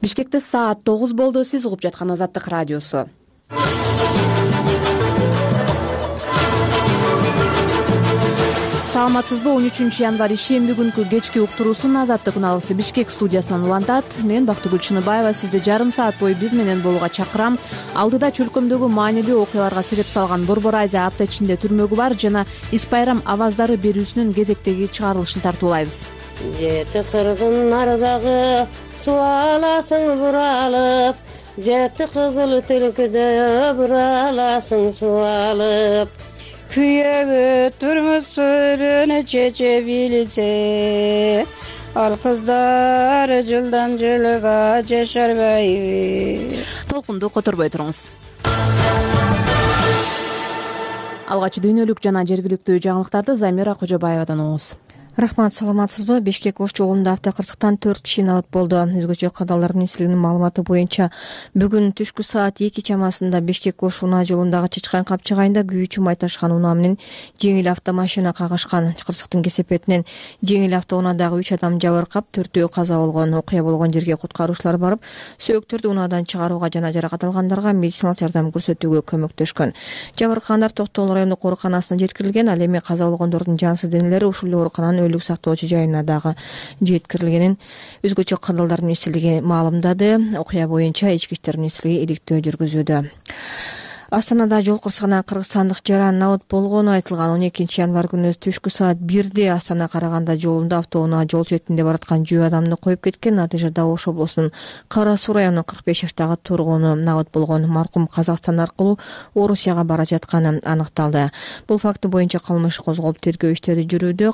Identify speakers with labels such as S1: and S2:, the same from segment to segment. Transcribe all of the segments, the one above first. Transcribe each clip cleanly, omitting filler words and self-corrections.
S1: Бишкекте саат 9 болду. Сиз угуп жаткан Азаттык радиосу. Саламатсызбы? 13 январь ишемби күнкү кечки уктуруусун Азаттык күналысы Бишкек студиясынан улантат. Мен Бактыгүл Чыныбаева сизди жарым саат бою биз менен болууга чакырам. Алдыда чөлкөмдөгү маанилүү окуяларга себеп салган Борбор Азия апта ичинде түрмөгү бар жана Ис Байрам аваздары берүүсүнүн кезектеги чыгарылышын тартуулайбыз.
S2: Жети кырдын нардагы суаласың буралып, жети кызыл түлкүдө бураласың суалып.
S3: Күйөгө турмуш сөрүнө чече билсе, ал кыздар жылдан жылга жашарбайбы.
S1: Толкунду которбой туруңуз. Алгач дүйнөлүк жана жергиликтүү жаңылыктарды Замира Кожобаевадан угуңуз.
S4: Рахмат, саламатсызбы? Бишкек Ош жолунда автокырсыктан 4 киши абат болду. Өзгөчө кырдаалдар министрлигинин маалыматы боюнча бүгүн түшкү саат 2 чамасында Бишкек Ош унаа жолундагы Чычкан капчыгайында күйүүчү май ташкан унаа менен жеңил автомашина кагышкан. Кырсыктын кесепетинен жеңил автоунаадагы 3 адам жабыркап, 4-өө каза болгон. Окуя болгон жерге куткаруучулар барып, сөөктөрдү унаадан чыгарууга жана жаракат алгандарга медициналык жардам көрсөтүүгө көмөктөшкөн. Жабыркагандар Токтогул райондук ооруканасына жеткирилген. Ал эми каза болгондордун жансыз денелери ушул оорукананын өлүк сактоочу жайына дагы жеткирилгенин өзгөчө кырдаалдар министрлиги маалымдады. Окуя боюнча Ички иштер министрлиги иликтөө жүргүзүүдө. Астанада жол кырсыгынан кыргызстандык жаран абат болгону айтылган. 12 январь күнү түшкү саат 1-де Астана Караганда жолунда автоунаа жол четинде бараткан 10 адамды коюп кеткен. Натыйжада Ош облусунун Кара Суу районунун 45 жаштагы тургуну абат болгон. Маркум Казакстан аркылуу Орусияга бара жатканы аныкталды. Бул факты боюнча кылмыш козголуп тергөө иштери жүрүүдө.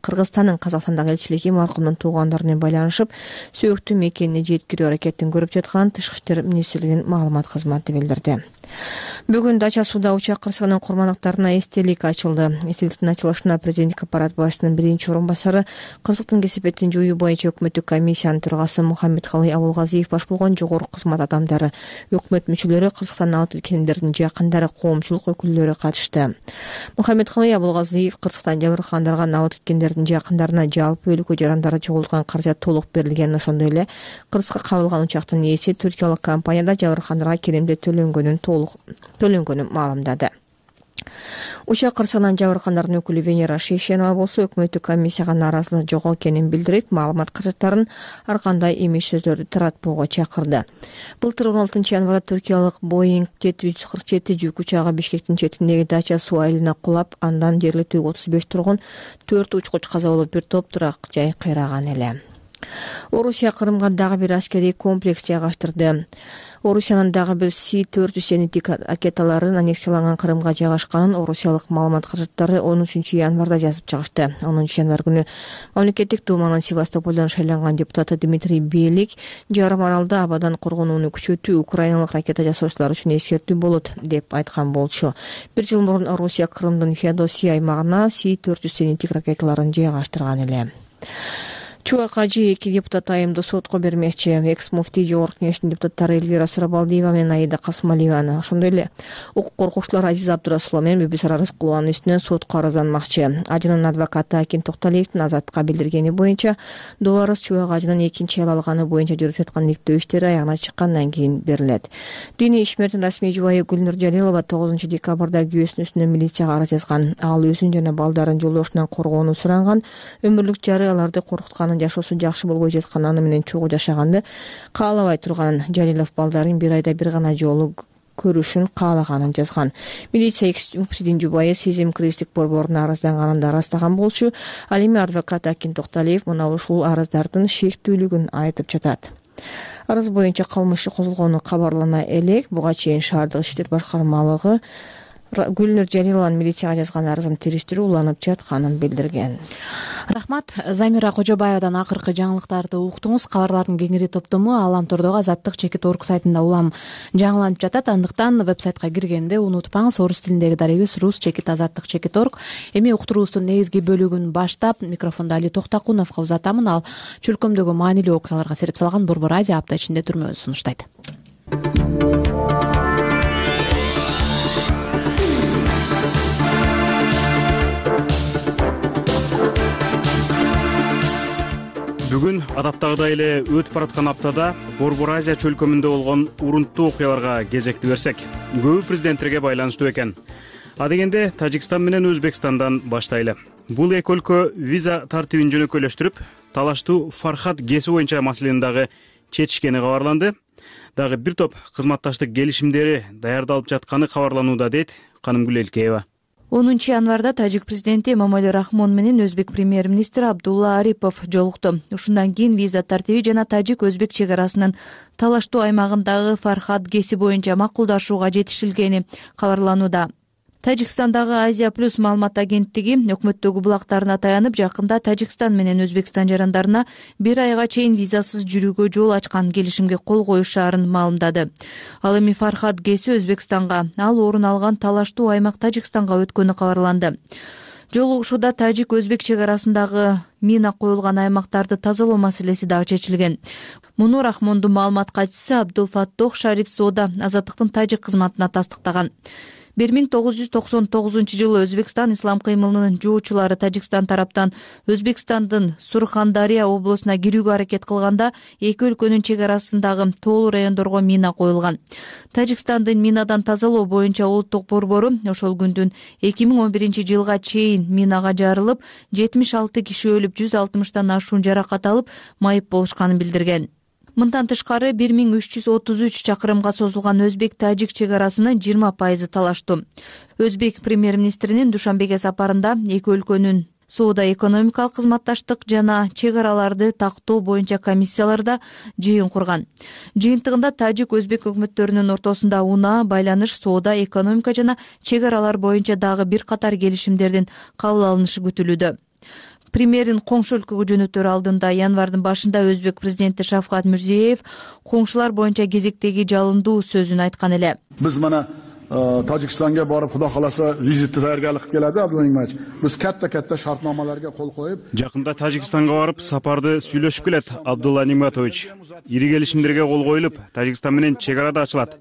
S4: Кыргызстандын Казакстандагы элчилиги маркумдун туугандарына менен байланышып, сөөктүү мекенине жеткирүү аракетин көрүп жатканын Тышкы иштер министрлигинин маалымат кызматы билдирди. Бүгүн Дача сууда учак кырсыгынын курмандыктарына эстелик ачылды. Эстеликтин ачылышына президенттик аппарат башчысынын биринчи орун басары, кырсыктын кесепетин жоюу боюнча өкмөттүк комиссиянын төрагасы Мухаммедкалый Абулгазиев баш болгон жогорку кызмат адамдары, өкмөт мүчөлөрү, Кыргызстан абад эткендердин жакындары, коомчулук өкүлдөрү катышты. Мухаммедкалый Абулгазиев Кыргызстан жабыркагандарга абад эткендердин жакындарына жалпы өлкө жарандары жоголткан каражат толук берилгенин, ошондой эле Кыргызга кабылган учактын ээси түркиялык компанияда жабыркагандарга керемдет төлөнгөнүн маалымдады. Учак кырсыгынан жабыркагандардын өкүлү Венера Шейшенова болсо өкмөттүк комиссияга нааразылыгы жок экенин билдирип, маалымат каражаттарын ар кандай эмес сөздөрдү таратпоого чакырды. Былтыр 16 январда түркиялык Boeing 747 жүк учагы Бишкектин четиндеги Дача суу айылына кулап, андан жергиликтүү 35 тургун, 4 учкуч каза болуп, бир топ турак жай кыйраган эле. Орусия Кырымга дагы бир аскерий комплекс жайгаштырды. Орусиянын дагы бир С-400 зениттик ракеталарын аннексияланган Кырымга жайгашканын орусиялык маалымат каражаттары 13 январда жазып чыгышты. 10 январь күнү мамлекеттик думанын Севастополдон шайланган депутаты Дмитрий Белик жарым аралда абадан коргонууну күчөтүү украиналык ракета жасоочулар үчүн эскертүү болот деп айткан болчу. Бир жыл мурун Орусия Кырымдын Феодосия аймагына С-400 зениттик ракеталарын жайгаштырган эле. Чуакажи 2 депутат айымды сотко бермекчи. Экс-муфтий жогорку кеңештин депутаттары Эльвира Сурабалдиева менен Аида Касымалиеваны, ошондой эле укук коргоочулар Азиза Абдурасулова менен Бүбүсара Рыскулованын үстүнөн сотко арызданмакчы. Ажынын адвокаты Аким Токталиевдин Азаттыкка билдиргени боюнча, Дуарыс Чуакажынын экинчи аял алганы боюнча жүрүп жаткан иликтөө иштери аягына чыккандан кийин берилет. Диний ишмердин расмий жубайы Гүлнур Жалилова 9 декабрда күйөөсүнүн үстүнөн милицияга арыз жазган. Ал өзүн жана балдарын жолдошунан коргоону суранган. Өмүрлүк жары аларды коркутканын, жашоосу жакшы болбой жатканын, аны менен чогуу жашаганды каалабай турганын, Жалилов балдарын бир айда бир гана жолу көрүшүн каалаганын жазган. Милиция экс-муфтийдин жубайы Сезим Кристик борборуна арызданганын ырастаган болчу. Ал эми адвокат Аким Токталиев мына ушул арыздардын шектүүлүгүн айтып жатат. Арыз боюнча кылмыш козголгону кабарлана элек. Буга чейин шаардык иштер башкармалыгы Гүлнур Жалилованын милицияга жазган арызын териштирүү уланып жатканын билдирген.
S1: Рахмат. Замира Кожобаевадан акыркы жаңылыктарды уктуңуз. Кабарлардын кеңири топтому Аламтордогу Азаттык.org сайтында улам жаңыланып жатат. Андыктан вебсайтка киргенде унутпаңыз, орус тилиндеги дарегибиз rus.azattik.org. Эми уктуруубуздун негизги бөлүгүн баштап, микрофонду Али Токтакуновго узатамын. Ал чөлкөмдөгү маанилүү окуяларга себеп салган Борбор Азия апта ичинде түрмөгү сунуштайт.
S5: Бүгүн адаттагыдай эле өтүп бараткан аптада Борбор Азия чөлкөмүндө болгон урунттуу окуяларга кезекти берсек, көбү президенттерге байланыштуу экен. А дегенде Тажикстан менен Өзбекстандан баштайлы. Бул эки өлкө виза тартибин жөнөкөйлөштүрүп, талаштуу Фархад ГЭСи боюнча маселени дагы чечишкени кабарланды. Дагы бир топ кызматташтык келишимдери даярдалып жатканы кабарланууда, дейт Канымгүл Элкеева.
S6: 10 январда тажик президенти Эмомали Рахмон менен өзбек премьер-министри Абдулла Арипов жолукту. Ушундан кийин виза тартиби жана тажик-өзбек чек арасынын талаштуу аймагындагы Фархад ГЭСи боюнча макулдашууга жетишилгени кабарланууда. Тажикстандагы Азия плюс маалымат агенттиги өкмөттөгү булактарына таянып, жакында Тажикстан менен Өзбекстан жарандарына 1 айга чейин визасыз жүрүүгө жол ачкан келишимге кол коюшаарын маалымдады. Ал эми Фархад ГЭСи Өзбекстанга, ал орун алган талаштуу аймак Тажикстанга өткөнү кабарланды. Жолугушууда тажик-өзбек чек арасындагы мина коюлган аймактарды тазалоо маселеси дагы чечилген. Муну Рахмондун маалымат катчысы Абдулфаттох Шариф Соода азаттыктын тажик кызматына тастыктаган. 1999 Өзбекстан ислам кыймылынын жоочулары Тажикстан тараптан Өзбекстандын Сурхандария облусуна кирүүгө аракет кылганда эки өлкөнүн чек арасындагы тоолуу райондорго мина коюлган. Тажикстандын минадан тазалоо боюнча улуттук борбору ошол күндүн 2011-жылга чейин минага жарылып, 76 киши өлүп, 160тан ашуун жаракат алып, майып болушканын билдирген. Мындан тышкары 1333 чакырымга созулган өзбек-тажик чек арасынын 20% талаштуу. Өзбек премьер-министринин Душанбеге сапарында эки өлкөнүн соода-экономикалык кызматташтык жана чек араларды тактоо боюнча комиссияларда жыйын курган. Жыйынтыгында тажик-өзбек өкмөттөрүнүн ортосунда унаа, байланыш, соода, экономика жана чек аралар боюнча дагы бир катар келишимдердин кабыл алынышы күтүлүүдө. Премьерин коңшу өлкөгө жөнөтөр алдында январдын башында Өзбек президенти Шавкат Мирзиеев коңшулар боюнча кезектеги жалындуу сөзүн айткан эле.
S7: Биз мана Тажикстанга барып, Кудай кааласа, визитти даярдык кылып келеди Абдулимович. Биз катта шартнамаларга кол коюп,
S5: жакында Тажикстанга барып, сапарды сүйлөшүп келет Абдулла Ниматович. Ири келишимдерге кол коюлуп, Тажикстан менен чек ара да ачылат.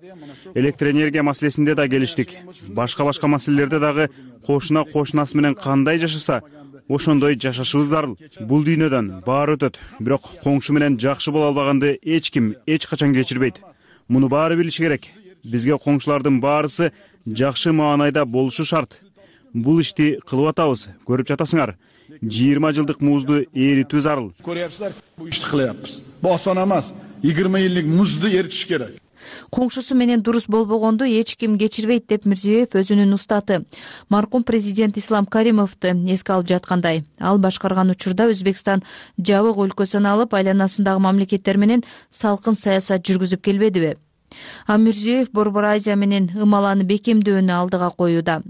S5: Электр энергия маселесинде да келиштик. Башка маселелерде дагы кошунасы менен кандай жашаса, ошондой жашашыбыз зарыл. Бул дүйнөдөн баары өтөт, бирок коңшу менен жакшы боло албаганды эч ким эч качан кечирбейт. Муну баары билиши керек. Бизге коңшулардын баарысы жакшы маанайда болушу шарт. Бул ишти кылып атабыз, көрүп жатасыңар. 20 жылдык музду эритүү зарыл.
S7: Көрөсүңөр, бул ишти кылабыз. Бул осон эмес. 20 жылдык музду эритиш керек.
S6: Коңшусу менен дурус болбогонду эч ким кечирбейт деп Мирзиеев өзүнүн устаты маркум президент Ислам Каримовду эске алып жаткандай. Ал башкарган учурда Өзбекстан жабык өлкө саналып, айланасындагы мамлекеттер менен салкын саясат жүргүзүп келбедиби? А Мирзиеев Борбор Азия менен ымаланы бекемдөөнү алдыга коюуда.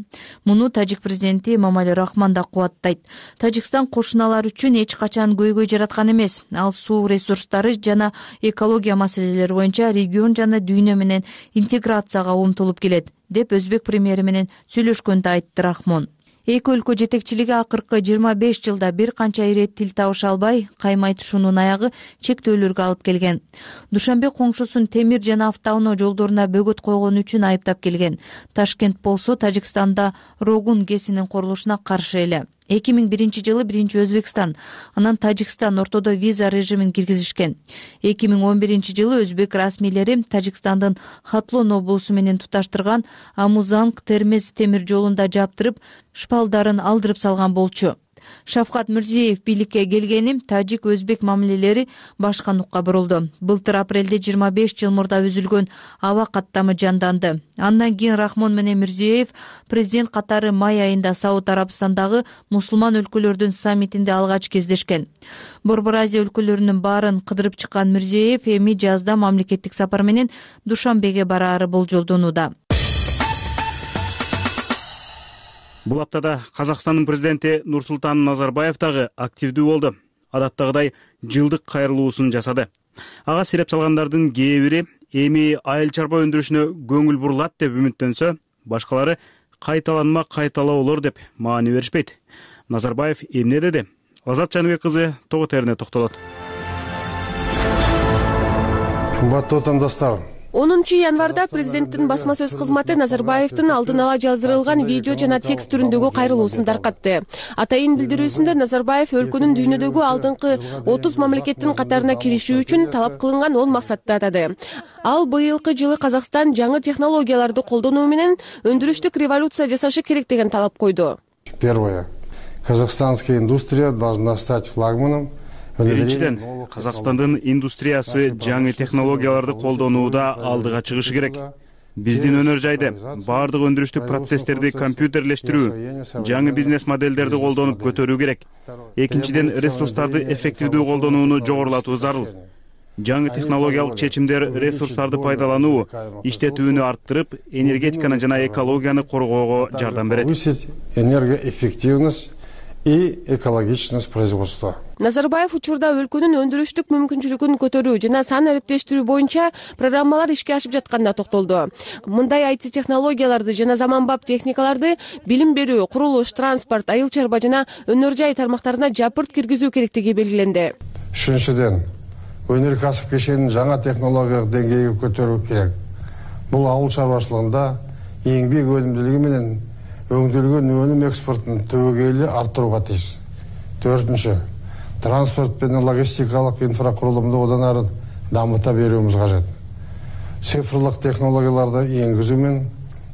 S6: Муну тажик президенти Эмомали Рахмон да кубаттайт. Тажикстан кошуналар үчүн эч качан көйгөй жараткан эмес. Ал суу ресурстары жана экология маселелери боюнча регион жана дүйнө менен интеграцияга умтулуп келет, деп өзбек премьери менен сүйлөшкөндө айтты Рахмон. Эки өлкө жетекчилиги акыркы 25 жылда бир канча ирет тил табыша албай, каймай тушуунун аягы чектөөлөргө алып келген. Душанбе коңшусун темир жана автоунаа жолдоруна бөгөт койгон үчүн айыптап келген. Ташкент болсо Тажикстанда Рогун ГЭСинин курулушуна каршы эле. 2001-жылы биринчи Өзбекстан, анан Тажикстан ортодо виза режимин киргизишкен. 2011-жылы өзбек расмийлери Тажикстандын Хатлон облусу менен туташтырган Амузанг-Термез темир жолунда жаптырып, шпалдарын алдырып салган болчу. Шавкат Мирзиеев бийликке келгени тажик-өзбек мамилелери башка нукка бурулду. Былтыр апрелде 25 жыл мурда үзүлгөн аба каттамы жанданды. Андан кийин Рахмон менен Мирзиеев президент катары май айында Сауд Арабстандагы мусулман өлкөлөрдүн саммитинде алгач кездешкен. Борбор Азия өлкөлөрүнүн баарын кыдырып чыккан Мирзиеев эми жазда мамлекеттик сапар менен Душанбеге бараары болжолдонууда.
S5: Бул аптада Казакстандын президенти Нурсултан Назарбаев дагы активдүү болду. Адаттагыдай жылдык кайрылуусун жасады. Ага сереп салгандардын кээ бири эми айыл чарба өндүрүшүнө көңүл бурулат деп үмүттөнсө, башкалары кайталанма-кайталоолор деп маани беришпейт. Назарбаев эмне деди? Азат Жаныбек кызы тогу терине токтолот.
S8: Кымбаттуу отандоштор, 10 январда президенттин басма сөз кызматы Назарбаевдин алдын ала жаздырылган видео жана текст түрүндөгү кайрылуусун таркатты. Атайын билдирүүсүндө Назарбаев өлкөнүн дүйнөдөгү алдыңкы 30 мамлекеттин катарына кириши үчүн талап кылынган 10 максатты атады. Ал быйылкы жылы Казакстан жаңы технологияларды колдонуу менен өндүрүштүк революция жасашы керек деген талап койду.
S9: Первое. Казахстанская индустрия должна стать флагманом.
S5: Биринчиден, Казакстандын индустриясы жаңы технологияларды колдонууда алдыга чыгышы керек. Биздин өнөр жайды, баардык өндүрүштүк процесстерди компьютерлештирүү, жаңы бизнес модельдерди колдонуп көтөрүү керек. Экинчиден, ресурстарды эффективдүү колдонууну жогорулатуу зарыл. Жаңы технологиялык чечимдер ресурстарды пайдалануу, иштетүүнү арттырып, энергетиканы жана экологияны коргоого жардам берет.
S9: Повысить энергоэффективность и экологичность производства.
S8: Назарбаев учурда өлкөнүн өндүрүштүк мүмкүнчүлүгүн көтөрүү жана сан ариптештирүү боюнча программалар ишке ашып жатканына токтолду. Мындай IT технологияларды жана заманбап техникаларды билим берүү, курулуш, транспорт, айыл чарба жана өнөр жай тармактарына жапырт киргизүү керектиги белгиленди.
S9: Үчүнчүдөн, өнөркәсип кешенин жаңа технологиялык деңгейге көтөрүү керек. Бул ауыл чарбачылыгында еңбек өнүмдүүлүгү менен өңдөлгөн өнүм экспортун түбөгейлүү арттырууга тийиш. Төртүнчү, транспорт менен логистикалык инфракурулумду одан ары дамыта берүүбүз кажет. Цифрлык технологияларды энгизүү менен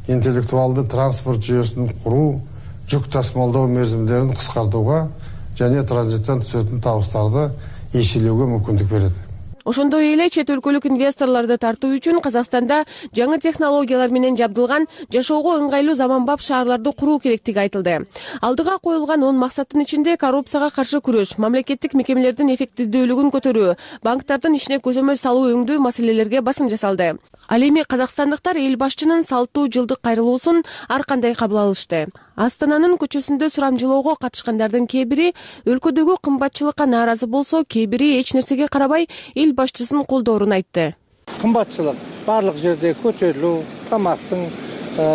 S9: интеллектуалдуу транспорт жүйөсүн куруу, жүк тасымалдоо мерзимдерин кыскартууга және транзиттен түсетін табыстарды еселеуге мүмкіндік береді.
S8: Ошондой эле чет өлкөлүк инвесторлорду тартуу үчүн Казакстанда жаңы технологиялар менен жабдылган жашоого ыңгайлуу заманбап шаарларды куруу керектиги айтылды. Алдыга коюлган 10 максаттын ичинде коррупцияга каршы күрөш, мамлекеттик мекемелердин эффективдүүлүгүн көтөрүү, банктардын ишине көзөмөл салуу өңдүү маселелерге басым жасалды. Ал эми казакстандыктар эл башчынын салттуу жылдык кайрылуусун ар кандай кабыл алышты. Астананын көчөсүндө сурамжылоого катышкандардын кээ бири өлкөдөгү кымбатчылыкка нааразы болсо, кээ бири эч нерсеге карабай эл башчысын колдоорун айтты.
S10: Кымбатчылык барлык жерде көтөрүлүү, тамактын,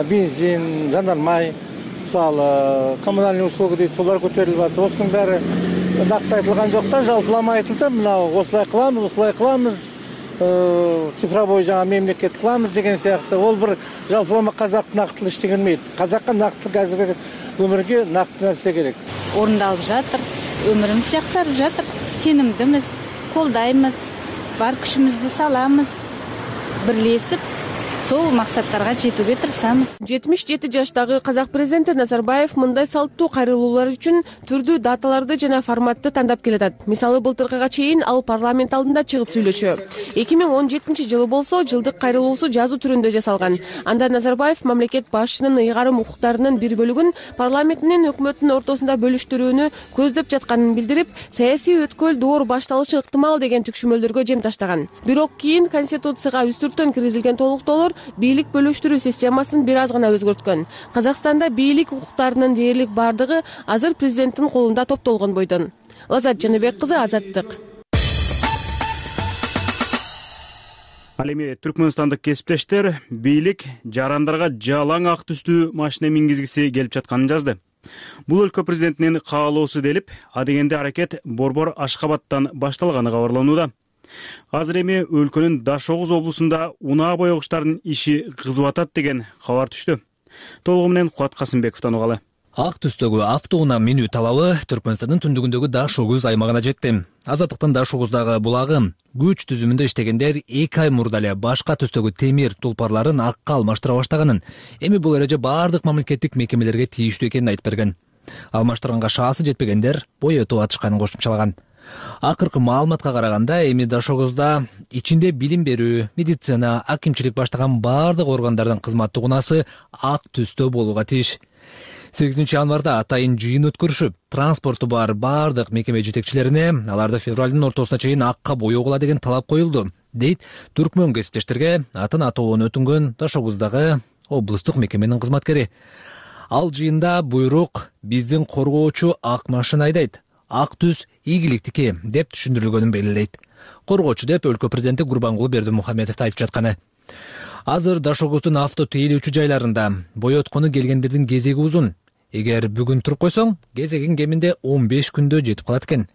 S10: бензин, жанармай, мисалы коммунальный услуга дейт, солар көтөрүлүп атат. Осунун баары накты айтылган жок да, жалпылама айтылды. Мына осулай кылабыз, цифровой жаңа мемлекет кыламыз деген сыяктуу. Ол бир жалпылама казактын нактылуу иштегенмейт. Казакка нактылык азыркы өмүргө нактуу нерсе керек.
S11: Орундалып жатыр, өмүрүбүз жаксарып жатыр. Сенимдимиз, колдойбуз, бар күчүбүздү салабыз, бирлешип сол максаттарга жетүүгө тырышабыз. 77
S8: жаштагы казак президенти Назарбаев мындай салттуу кайрылуулар үчүн түрдүү даталарды жана форматты тандап келатат. Мисалы, былтыркыга чейин ал парламент алдында чыгып сүйлөшө. 2017 жылы болсо жылдык кайрылуусу жазуу түрүндө жасалган. Анда Назарбаев мамлекет башчынын ыйгарым укуктарынын бир бөлүгүн парламент менен өкмөттүн ортосунда бөлүштүрүүнү көздөп жатканын билдирип, саясий өткөл доор башталышы ыктымал деген түкшүмөлдөргө жем таштаган. Бирок кийин конституцияга үстүртөн киргизилген толуктоолор бийлик бөлүштүрүү системасын бир аз гана өзгөрткөн. Казакстанда бийлик укуктарынын дээрлик бардыгы азыр президенттин колунда топтолгон бойдон. Лазат Жаныбек кызы, Азаттык.
S5: Ал эми түркмөнстандык кесиптештер бийлик жарандарга жалаң ак түстүү машина мингизгиси келип жатканын жазды. Бул өлкө президентинин каалоосу делип, адегенде аракет Борбор Ашкабадтан башталганы кабарланууда. Азыр эми өлкөнүн Дашогуз облусунда унаа боегучтардын иши кызып атат деген кабар түштү. Толугу менен Кубат Касымбековдон угалы.
S12: Ак түстөгү автоунаа минүү талабы Түркмөнстандын түндүгүндөгү Дашогуз аймагына жетти. Азаттыктын Дашогуздагы булагы күч түзүмүндө иштегендер 2 ай мурда эле башка түстөгү темир тулпарларын акка алмаштыра баштаганын, эми бул эреже баардык мамлекеттик мекемелерге тийиштүү экенин айтып берген. Алмаштырганга шаасы жетпегендер боетип атышканын кошумчалаган. Акыркы маалыматка караганда, эми Дашогузда ичинде билим берүү, медицина, акимчилик баштаган баардык органдардын кызматтык унаасы ак түстө болууга тийиш. 8 январда атайын жыйын өткөрүшүп, транспорту бар баардык мекеме жетекчилерине аларды февралдын ортосуна чейин акка боегула деген талап коюлду, дейт түркмөн кесиптештерге атын атоонун өтүнгөн Дашогуздагы облустук мекеменин кызматкери. Ал жыйында буйрук биздин коргоочу ак машина айдайт, ак түс ийгиликтики деп түшүндүрүлгөнүн белгилейт. Коргоочу деп өлкө президенти Гурбангулы Бердимухамедов айтып жатканы. Азыр Дашогуздун авто тейлөөчү жайларында боеткону келгендердин кезеги узун. Эгер бүгүн туруп койсоң, кезегиң кеминде 15 күндө жетип калат экен.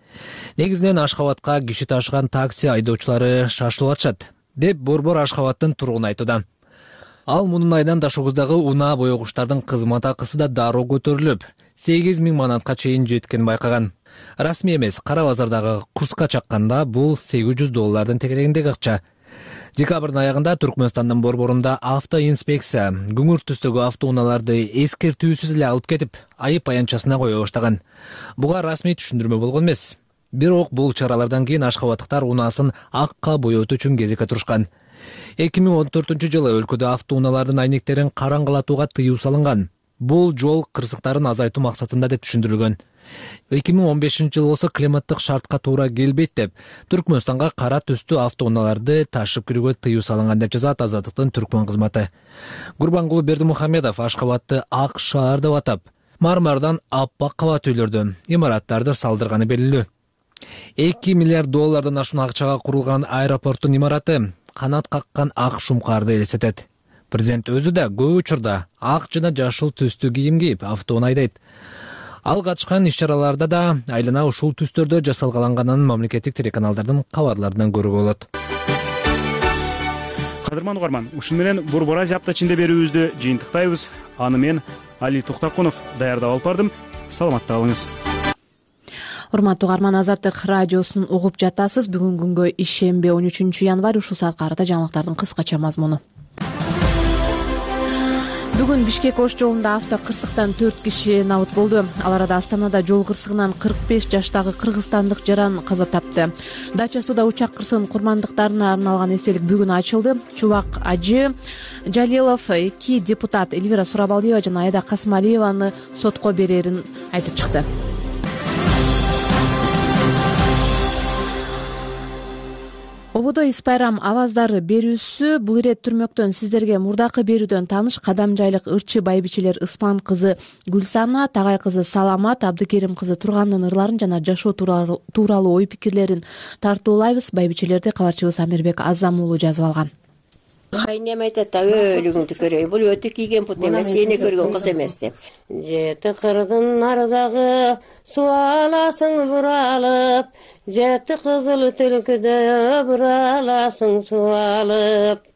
S12: Негизинен Ашкабадка киши ташыган такси айдоочулары шашылып атышат. деп Борбор Ашхабадтын тургуну айтууда. Ал мунун айынан Дашогуздагы унаа боёгучтардын кызмат акысы да дароо көтөрүлүп, 8.000 манатка чейин жеткенин байкаган. Расмий эмес, кара базардагы курска чакканда бул $800 тегерегиндеги акча. Декабрдын аягында Түркмөнстандын борборунда автоинспекция күңүр түстөгү автоунааларды эскертүүсүз эле алып кетип, айып аянтчасына кое баштаган. Буга расмий түшүндүрмө болгон эмес. Бирок бул чаралардан кийин ашхабадтыктар унаасын акка боётуу үчүн кезекке турушкан. 2014-жылы өлкөдө автоунаалардын айнектерин караңгылатууга тыюу салынган. Бул жол кырсыктарын азайтуу максатында деп түшүндүрүлгөн. 2015-жылы болсо климаттык шартка туура келбейт деп Түркмөнстанга кара түстүү автоунааларды ташып кирүүгө тыюу салынган деп жазат Азаттыктын Түркмөн кызматы. Гурбангулу Бердимухамедов Ашхабадты ак шаар деп атап, мармардан аппак кабат үйлөрдү, имараттарды салдырганы белгилүү. $2 миллиард ашуун акчага курулган аэропорттун имараты канат каккан ак шумкарды элестетет. Президент өзү да көп учурда ак жана жашыл түстүү кийим кийип автоунаа айдайт. Ал катышкан иш-чараларда да айлана ушул түстөрдө жасалганганын мамлекеттик телеканалдардын кабарларынан көрүүгө болот.
S5: Кадырман угарман, ушун менен Борбор Азия апта ичинде берүүбүздү жыйынтыктайбыз. Аны мен Али Токтаркунов даярдап алып бардым. Саламатта калыңыз.
S1: Урматтуу угарман, Азаттык радиосун угуп жатасыз. Бүгүн күнгө ишемби 13 январь ушул саатка карата жаңылыктардын кыскача мазмуну. Бүгүн Бишкек Ош жолунда авто кырсыктан 4 киши набыт болду. Ал арада Астанада жол кырсыгынан 45 жаштагы кыргызстандык жаран каза тапты. Дача сууда учак кырсыгынын курмандыктарына арналган эстелик бүгүн ачылды. Чубак Ажы Жалилов 2 депутат Эльвира Сурабалиева жана Айда Касымалиеваны сотко берерин айтып чыкты. Ободо Ис Байрам аваздары берүүсү бул ирет түрмөктөн сиздерге мурдакы берүүдөн тааныш кадамжайлык ырчы байбичелер Ыспан кызы Гүлсана, Тагай кызы Саламат, Абдыкерим кызы Тургандын ырларын жана жашоо тууралуу ой пикирлерин тартуулайбыз. Байбичелерди кабарчыбыз Амирбек Азам уулу жазып алган.
S2: Кайнем айтат да өлүгүңдү көрөй, бул өтү кийген пут эмес, эне көргөн кыз эмес деп. Жети кырдын нардагы суу аласың буралып, жети кызыл түлкүдө бураласың суу алып.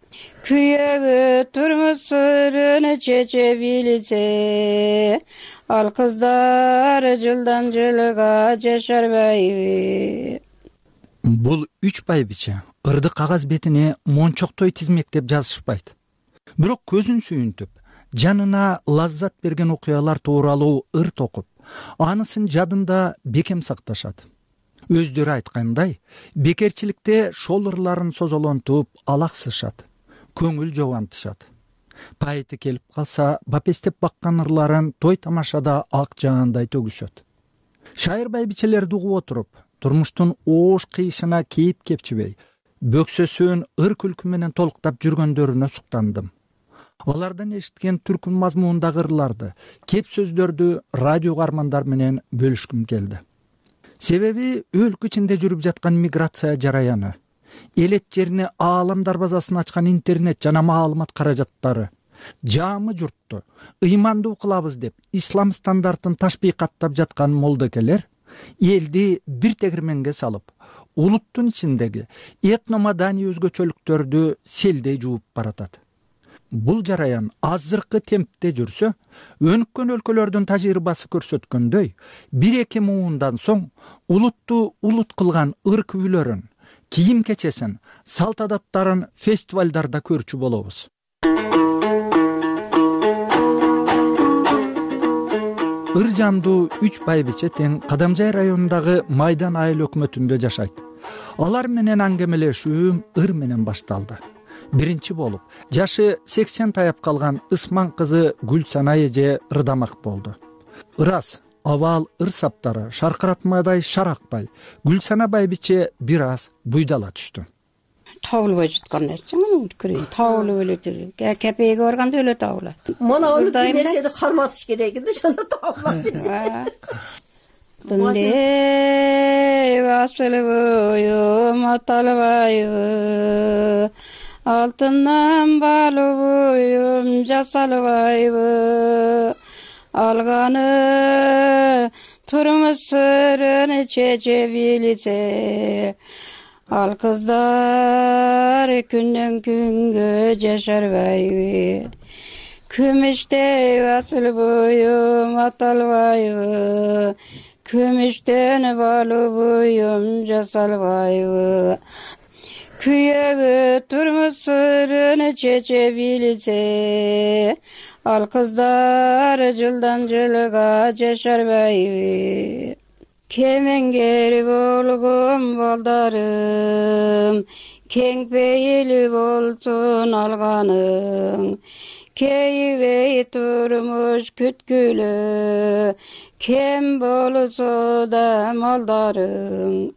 S3: Күйөгү турмуш сырын чече билсе, ал кыздар жылдан жылга жашарбайбы.
S13: Бул 3 байбиче ырды кагаз бетине мончоктой тизмектеп жазышпайт. Бирок көзүн сүйүнтүп, жанына лаззат берген окуялар тууралуу ыр токуп, анысын жадында бекем сакташат. Өздөрү айткандай, бекерчиликте шол ырларын созолонтуп алаксышат, көңүл жобантышат. Пайыты келип калса, бапестеп баккан ырларын той тамашада ак жаандай төгүшөт. Шайыр байбичелерди угуп отуруп, турмуштун оош кыйышына кейип кепчибей, бөксөсүн ыр күлкү менен толуктап жүргөндөрүнө суктандым. Алардан эшиткен түркүн мазмунундагы ырларды, кеп сөздөрдү радио угармандар менен бөлүшкүм келди. Себеби өлкө ичинде жүрүп жаткан миграция жараяны, элет жерине аалам дарбазасын ачкан интернет жана маалымат каражаттары, жаамы журтту ыймандуу кылабыз деп ислам стандартын ташбийкаттап жаткан молдокелер элди бир тегирменге салып, улуттун ичиндеги этномаданий өзгөчөлүктөрдү селдей жууп баратат. Бул жараян азыркы темпте жүрсө, өнүккөн өлкөлөрдүн тажрыйбасы көрсөткөндөй, 1-2 муундан соң улутту улут кылган ыр күүлөрүн, кийим кечесин, салт адаттарын фестивалдарда көрчү болобуз. Ыр жандуу 3 байбиче тең Кадамжай районундагы Майдан айыл өкмөтүндө жашайт. Алар менен аңгемелешүүм ыр менен башталды. Биринчи болуп, жашы 80 таяп калган Ысман кызы Гүлсана эже ырдамак болду. Ырас, абал ыр саптары шаркыратмадай шаракпай, Гүлсана байбиче бир аз буйдала түштү.
S3: Табылбай жаткандай көрөйүн, табылып эле жүр. Кепеге барганда эле табылат.
S2: Мана аны нерседи карматыш керек да, жана табылат.
S3: Тынде басылбайым аталбайбы, алтындан балыбыйым жасалбайбы, алганы турмуш сырын чече билсе, Ал кыздар күндөн күнгө жашарбайбы, күмүштей басыл боюм аталбайбы, күмүштөн балуу буюм жасалбайбы. Күйөгө турмуш сырын чече билсе, ал кыздар жылдан жылга жашарбайбы. Кемеңгер болгон балдарым, кең пейил болсун алганың, кейбей турмуш күткүлө, кем болсо да малдарың.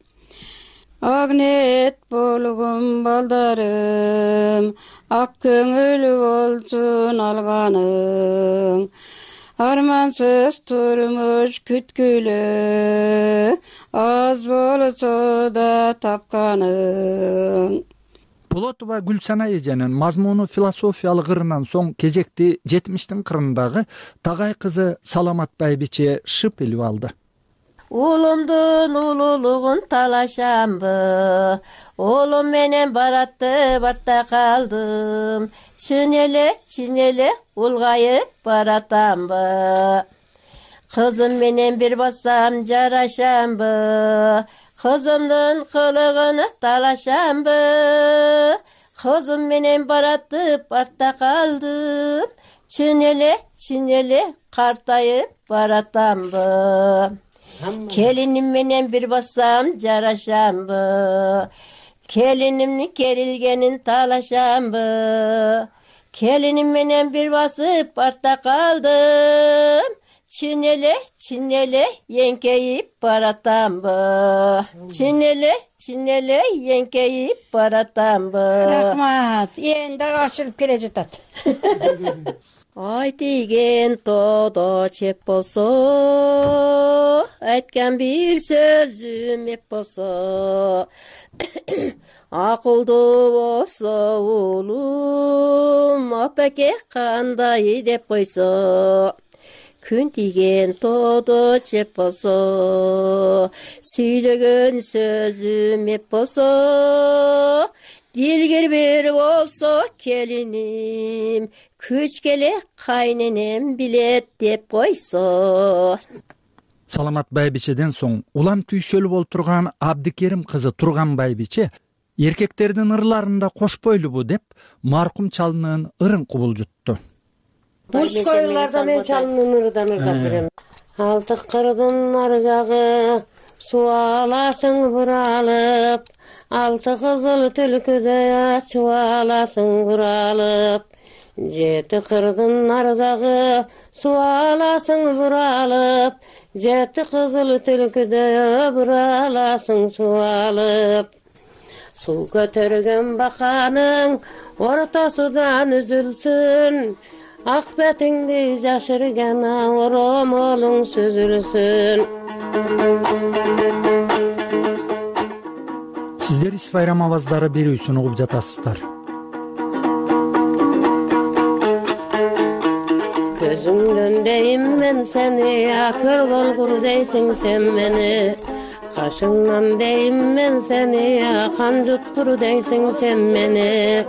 S3: Ак ниет болгон балдарым, ак көңүл болсун алганың, армансыз турмуш күткүлө, аз болсо да тапканың.
S13: Болотова Гүлсана эженин мазмуну философиялык ырынан соң кезекти 70-тин кырындагы Тагай кызы Саламат байбиче шып илип алды.
S2: Улумдун улуулугун талашамбы, улум менен баратты барта калдым, чын эле улгайып баратамбы. Кызым менен бир бассам жарашамбы, кызымдын кылыгын талашамбы. Кызым менен баратып барта калдым, чын эле картайып баратамбы. Келиним менен бир бассам жарашамбы, келинимдин керилгенин талашамбы. Келиним менен бир басып барта калдым, чын эле эңкейип баратамбы. Чын эле эңкейип баратамбы.
S3: Рахмат, энди ашырып келе жатат.
S2: Ай тийген тоодо чеп болсо, айткан бир сөзүм эп болсо, акылдуу болсо улум, апеке кандай деп койсо. Күн тийген тоодо чеп болсо, сүйлөгөн сөзүм эп болсо, дилгир бир болсо келиним, күч келе кайненем билет деп койсо.
S13: Саламат байбичеден соң улам түйшөлүп олтурган Абдикерим кызы Турган байбиче эркектердин ырларында кошпойлубу деп маркум чалынын ырын кубулжутту.
S2: Мужской ырларда мен чалынын ырынан ырдап берем. Алтык кырдын ар жагы суу аласың буралып, алты кызыл түлкүдөй чубаласың буралып. Жети кырдын ар жагы суу аласың буралып, жети кызыл түлкүдөй бураласың чубалып. Суу көтөргөн баканың ортосудан үзүлсүн, ак бетиңди жашырган оромолуң сүзүлсүн.
S13: Сиздер Ис Байрам аваздары берүүсүн угуп жатасыздар.
S2: Көзүңдөн дейм мен сени, акыл болгур дейсиң сен мени. Кашыңнан дейм мен сени, кан жуткур дейсиң сен мени.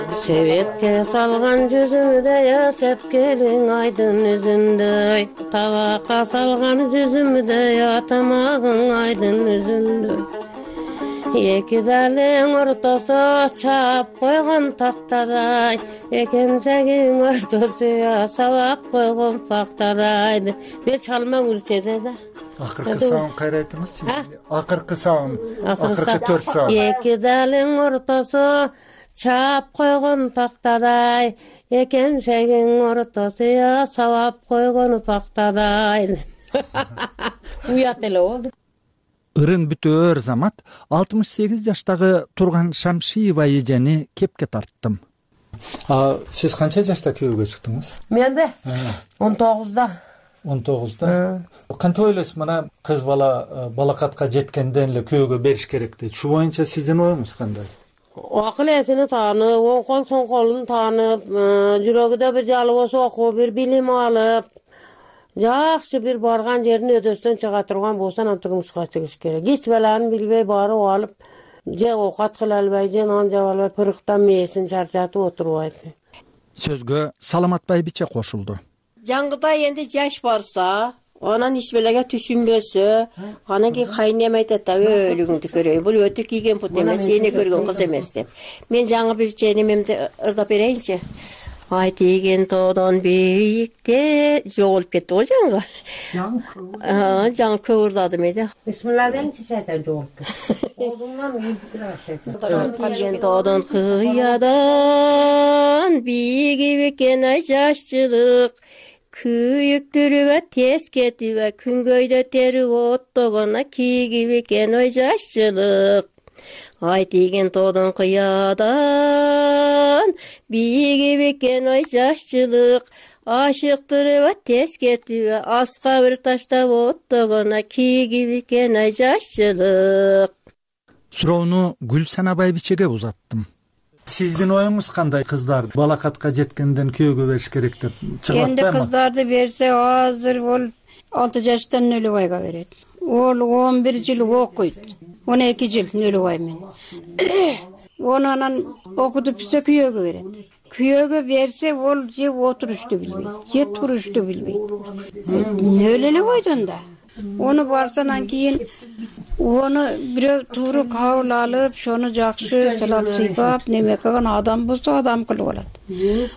S2: Себетке салган жүзүмдөй, сепкелиң айдын үзүндөй. Табакка салган жүзүмдөй, тамагың айдын үзүндөй. Эки далың ортосу чаап койгон тактадай, экенсегиң ортосу сабап койгон пактадай. Мен чалмам үрседе да.
S13: Акыркы саун кайра айтыңыз. Акыркы саун, акыркы 4 саун.
S2: Эки далың ортосу чаап койгон тактадай, экенсегиң ортосу сабап койгон пактадай. Уят эле болду.
S13: Ырын бүтөөр замат 68 жаштагы Турган Шамшиева эжени кепке тарттым. Сиз канча жашта күйөөгө чыктыңыз?
S2: Мен бе? 19да.
S13: 19да. Кантип ойлойсуз, мына кыз бала балакатка жеткенден эле күйөөгө бериш керек дейт. Шу боюнча сиздин оюңуз кандай?
S2: Акыл эсини таанып, оң кол соң колун таанып, жүрөгүдө бир жалы болсо окуп, бир билим алып, жакшы бир барган жерин өдөстөн чыга турган болсо, анан турмушка чыгыш керек. Эч баланы билбей барып алып, же оокат кыла албай, же нан жаба албай, пырыктан мээсин чарчатып отурбайт.
S13: Сөзгө Саламат Байбиче кошулду.
S2: Жаңгыда энди жаш барса, анан ишбелеге түшүнбөсө, анан кийин кайнем айтат да, өлүгүңдү көрөйүн. Бул өтүк кийген пут эмес, эне көргөн кыз эмес деп. Мен жаңы бир ченемемди ырдап берейинчи. Ай тийген тоодон бийикте жоголуп кетти го жаңы. Жаңы көп ырдадым эди. Бисмилла дейинчи шайтан жоголуп кетти. Колумдан тийген тоодон кыядан бийиги бекен ай жашчылык. Күйүктүрүбө тез кетибе, күнгөйдө терип оттогона кийгип экен ой жашчылык. Ай тийген тоодон кыядан бийигип экен ой жашчылык. Ашыктырып тез кетибе, аска бир таштап оттогона кийгип экен ой жашчылык.
S13: Суроону Гүлсана Байбичеге узаттым. Сиздин оюңуз кандай? Кыздарды балакатка жеткенден күйөөгө бериш керек деп чыгып атпайбы?
S3: Энди кыздарды берсе, азыр ол 6 жаштан Нөлөбайга берет. Ол 11 жыл окуйт. 12 жыл Нөлөбай менен. Оны анан окутуп бүтсө күйөөгө берет. Күйөөгө берсе, ол же отурушту билбейт, же турушту билбейт. Өлө койдон да. Onu барсанан кийин onu бирөө тууру кабыл алып, шону жакшы сылап сыйпап, неме кылган адам болсо адам кылып алат.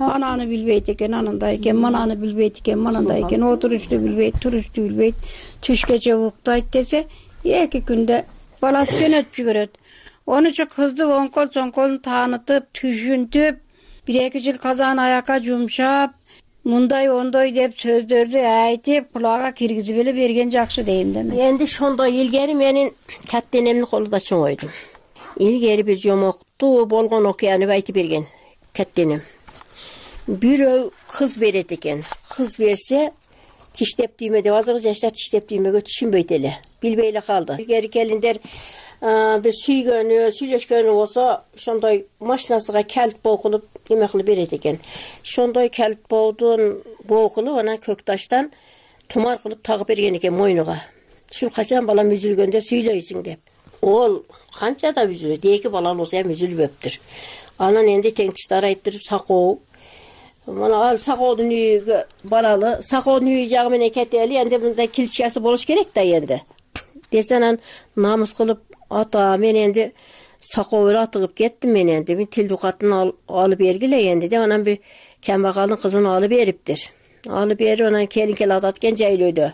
S3: Ананы билбейт экен, анандай экен, мананы билбейт экен, манандай экен, отурушту билбейт, турушту билбейт, түшкөчө уктайт десе, 2 күндө баласы жөнөтүп жиберет. Онучу кызды оңкол соңколун таанытып, түшүнтүп, 1-2 жыл казан аякка жумшап, мындай ондой деп сөздөрдү айтып, кулагга киргизип эле берген жакшы дейм да мен. Энди ошондой илгери менин каттенемдин колунда чоңойдум. Илгери бир жомокту болгон окуяны айтып берген каттенем. Бирөө кыз берет экен. Кыз берсе, тиштеп түймө деп, азыркы жаштар тиштеп түймөгө түшүнбөйт эле, билбей эле калды. Илгери келиндер бир сүйгөнү, сүйлөшкөнү болсо, ошондой машинасына калт бокулуп эме кылып берет экен. Ошондой калт боодун бокулуп, анан көк таштан тумар кылып тагып берген экен мойнуга. Ушул качан балам үзүлгөндө сүйлөйсүң деп. Ол канча да үзүлөт, 2 балалы болсо ham үзүлбөптүр. Анан энди тең туштар айттырып сакоо. Мына ал сакоодун үйүгө баралы, сакоодун үйү жагы менен кетели, энди мындай килчкасы болуш керек да энди. Десе анан намыс кылып ата мен энди сакоого атыгып кеттим, мен энди мен тилдүү катын алып бергиле энди деп анан бир камбагалдын кызын алып бериптир. Алып берип анан келин кел атат экен жайлоодо.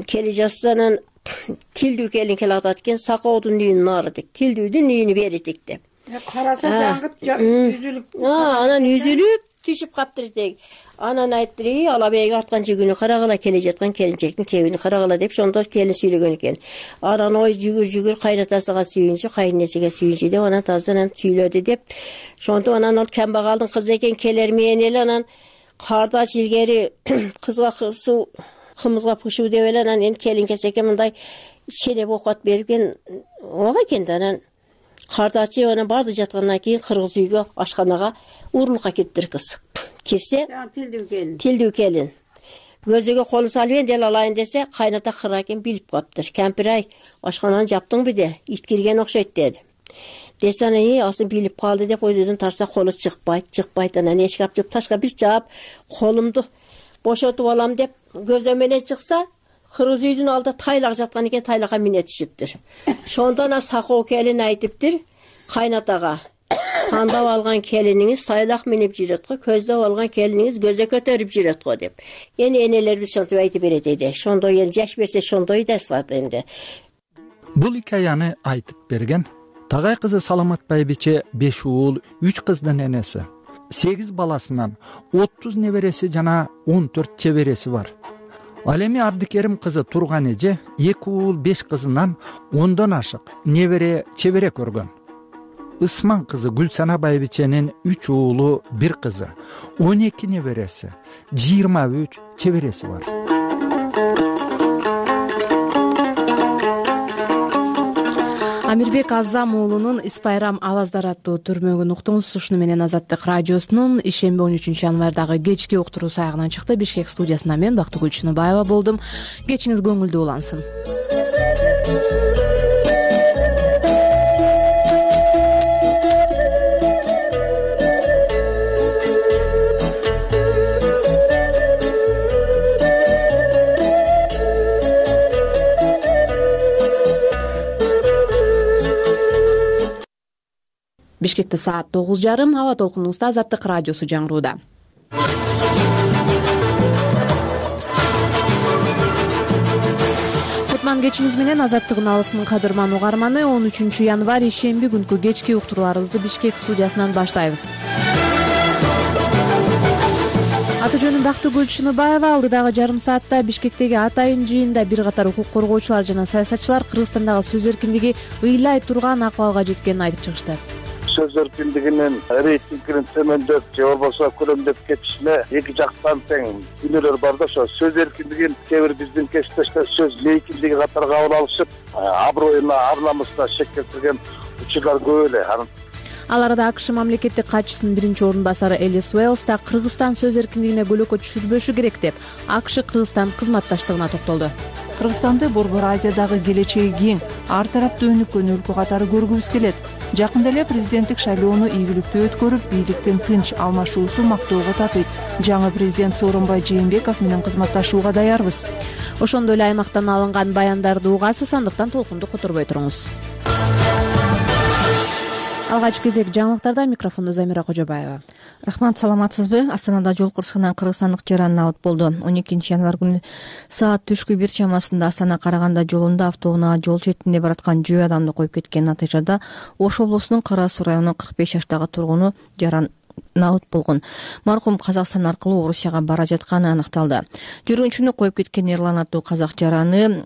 S3: Кели жатса анан тилдүү келин кел атат экен, сакоодун үйүнүн нарыдык, тилдүүдүн үйүнү беритик деп. Караса жаңгыт үзүлүп. Анан үзүлүп түшүп каптыр дег. Анан айттыр, алабейге арткан жүгүнү карагыла, келе жаткан келинчектин кебини карагыла деп ошондо келин сүйлөгөн экен. Анан ой жүгүр кайнатасыга сүйүнчү, кайненесиге сүйүнчү деп анан тазанан сүйлөдү деп. Ошондо анан ал камбагалдын кызы экен, келер менен эле анан кардаш илгери кызга кызуу, кымызга пышуу деп эле анан энд келин келсе экен мындай шелеп оокат берген ого экен да. Анан кардачы анан барды жаткандан кийин кыргыз үйгө ашканага уурулукка кириптир кыз. Кирсе, тилдүү келин. Көзөгө колун салып энди алайын десе, кайната кыра экен билип каптыр. Кемпир ай, ашкананы жаптыңбы де, ит кирген окшойт деди. Десе анан асын билип калды деп өзүдөн тарса колу чыкпайт. Анан эшик ачып ташка бир чаап, колумду бошотуп алам деп көзө менен чыкса, кыргыз үйдүн алдында тайлак жаткан экен, тайлакка мине түшүптүр. Ошондо анан сакоо келин айтыптыр кайнатага. Кандап алган келиниңиз тайлак минип жүрөт го, көздөп алган келиниңиз көзө көтөрүп жүрөт го деп. Эни энелерибиз ошентип айтып берет эди. Ошондой эл жаш берсе ошондой да сат энди.
S13: Бул хикаяны айтып берген Тагай кызы Саламат Байбиче 5 уул, 3 кыздын энеси. 8 баласынан 30 небереси жана 14 чебереси бар. Ал эми Абдикерим кызы Турган эже 2 уул, 5 кызынан 10дон ашык небере чебере көргөн. Ысман кызы Гүлсана Байбиченин 3 уулу, 1 кызы, 12 небереси, 23 чебереси бар.
S1: Амирбек Азам уулунун Ис Байрам аваздары аттуу түрмөгүн уктуңуз. Ушуну менен Азаттык радиосунун ишемби 13 январдагы кечки уктуруусу аягына чыкты. Бишкек студиясында мен Бактыгүл Чыныбаева болдум. Кечиңиз көңүлдүү улансын. Бишкекте саат 9:30. Аба толкунуңузда Азаттык радиосу жаңырууда. Кутман кечиңиз менен Азаттыгын алыстын кадырман угарманы. 13 январь ишемби күнкү кечки уктурууларыбызды Бишкек студиясынан баштайбыз. Аты жөнүм Бактыгүл Шыныбаева. Алдыдагы жарым саатта Бишкектеги атайын жыйында бир катар укук коргоочулар жана саясатчылар Кыргызстандагы сөз эркиндиги ыйлай турган акыбалга жеткенин айтып чыгышты.
S14: Сөз эркиндигинин рейтингинин төмөндөп же болбосо көрөмдөп кетишине эки жактан тең күнөөлөр бар да, ошо сөз эркиндигин кээ бир биздин кесиптештер сөз мейкиндиги катары кабыл алышып, аброюна, ар намысына шек келтирген учурлар көп эле.
S1: Ал арада АКШ мамлекеттик катчысынын биринчи орун басары Элис Уэллс да Кыргызстан сөз эркиндигине көлөкө түшүрбөшү керек деп АКШ Кыргызстан кызматташтыгына токтолду.
S15: Кыргызстанды Борбор Азиядагы келечеги кең, ар тараптуу өнүккөн өлкө катары көргүбүз келет. Жакында эле президенттик шайлоону ийгиликтүү өткөрүп, бийликтин тынч алмашуусу мактоого татыйт. Жаңы президент Сооронбай Жээнбеков менен кызматташууга даярбыз.
S1: Ошондой эле аймактан алынган баяндарды угасыз, андыктан толкунду которбой туруңуз. Алгач кезек жаңылыктарда. Микрофонду Замира Кожобаева.
S4: Рахмат, саламатсызбы? Астанада жол кырсыгынан кыргызстандык жаран набыт болду. 12 январь күнү саат түшкү 1 чамасында Астана Караганда жолунда автоунаа жол четинде бараткан жөө адамды коюп кеткен натыйжада Ош облусунун Кара Суу районунун 45 жаштагы тургуну жаран набыт болгон. Маркум Казакстан аркылуу Орусияга бара жатканы аныкталды. Жүргүнчүнү коюп кеткен Эрлан аттуу казак жараны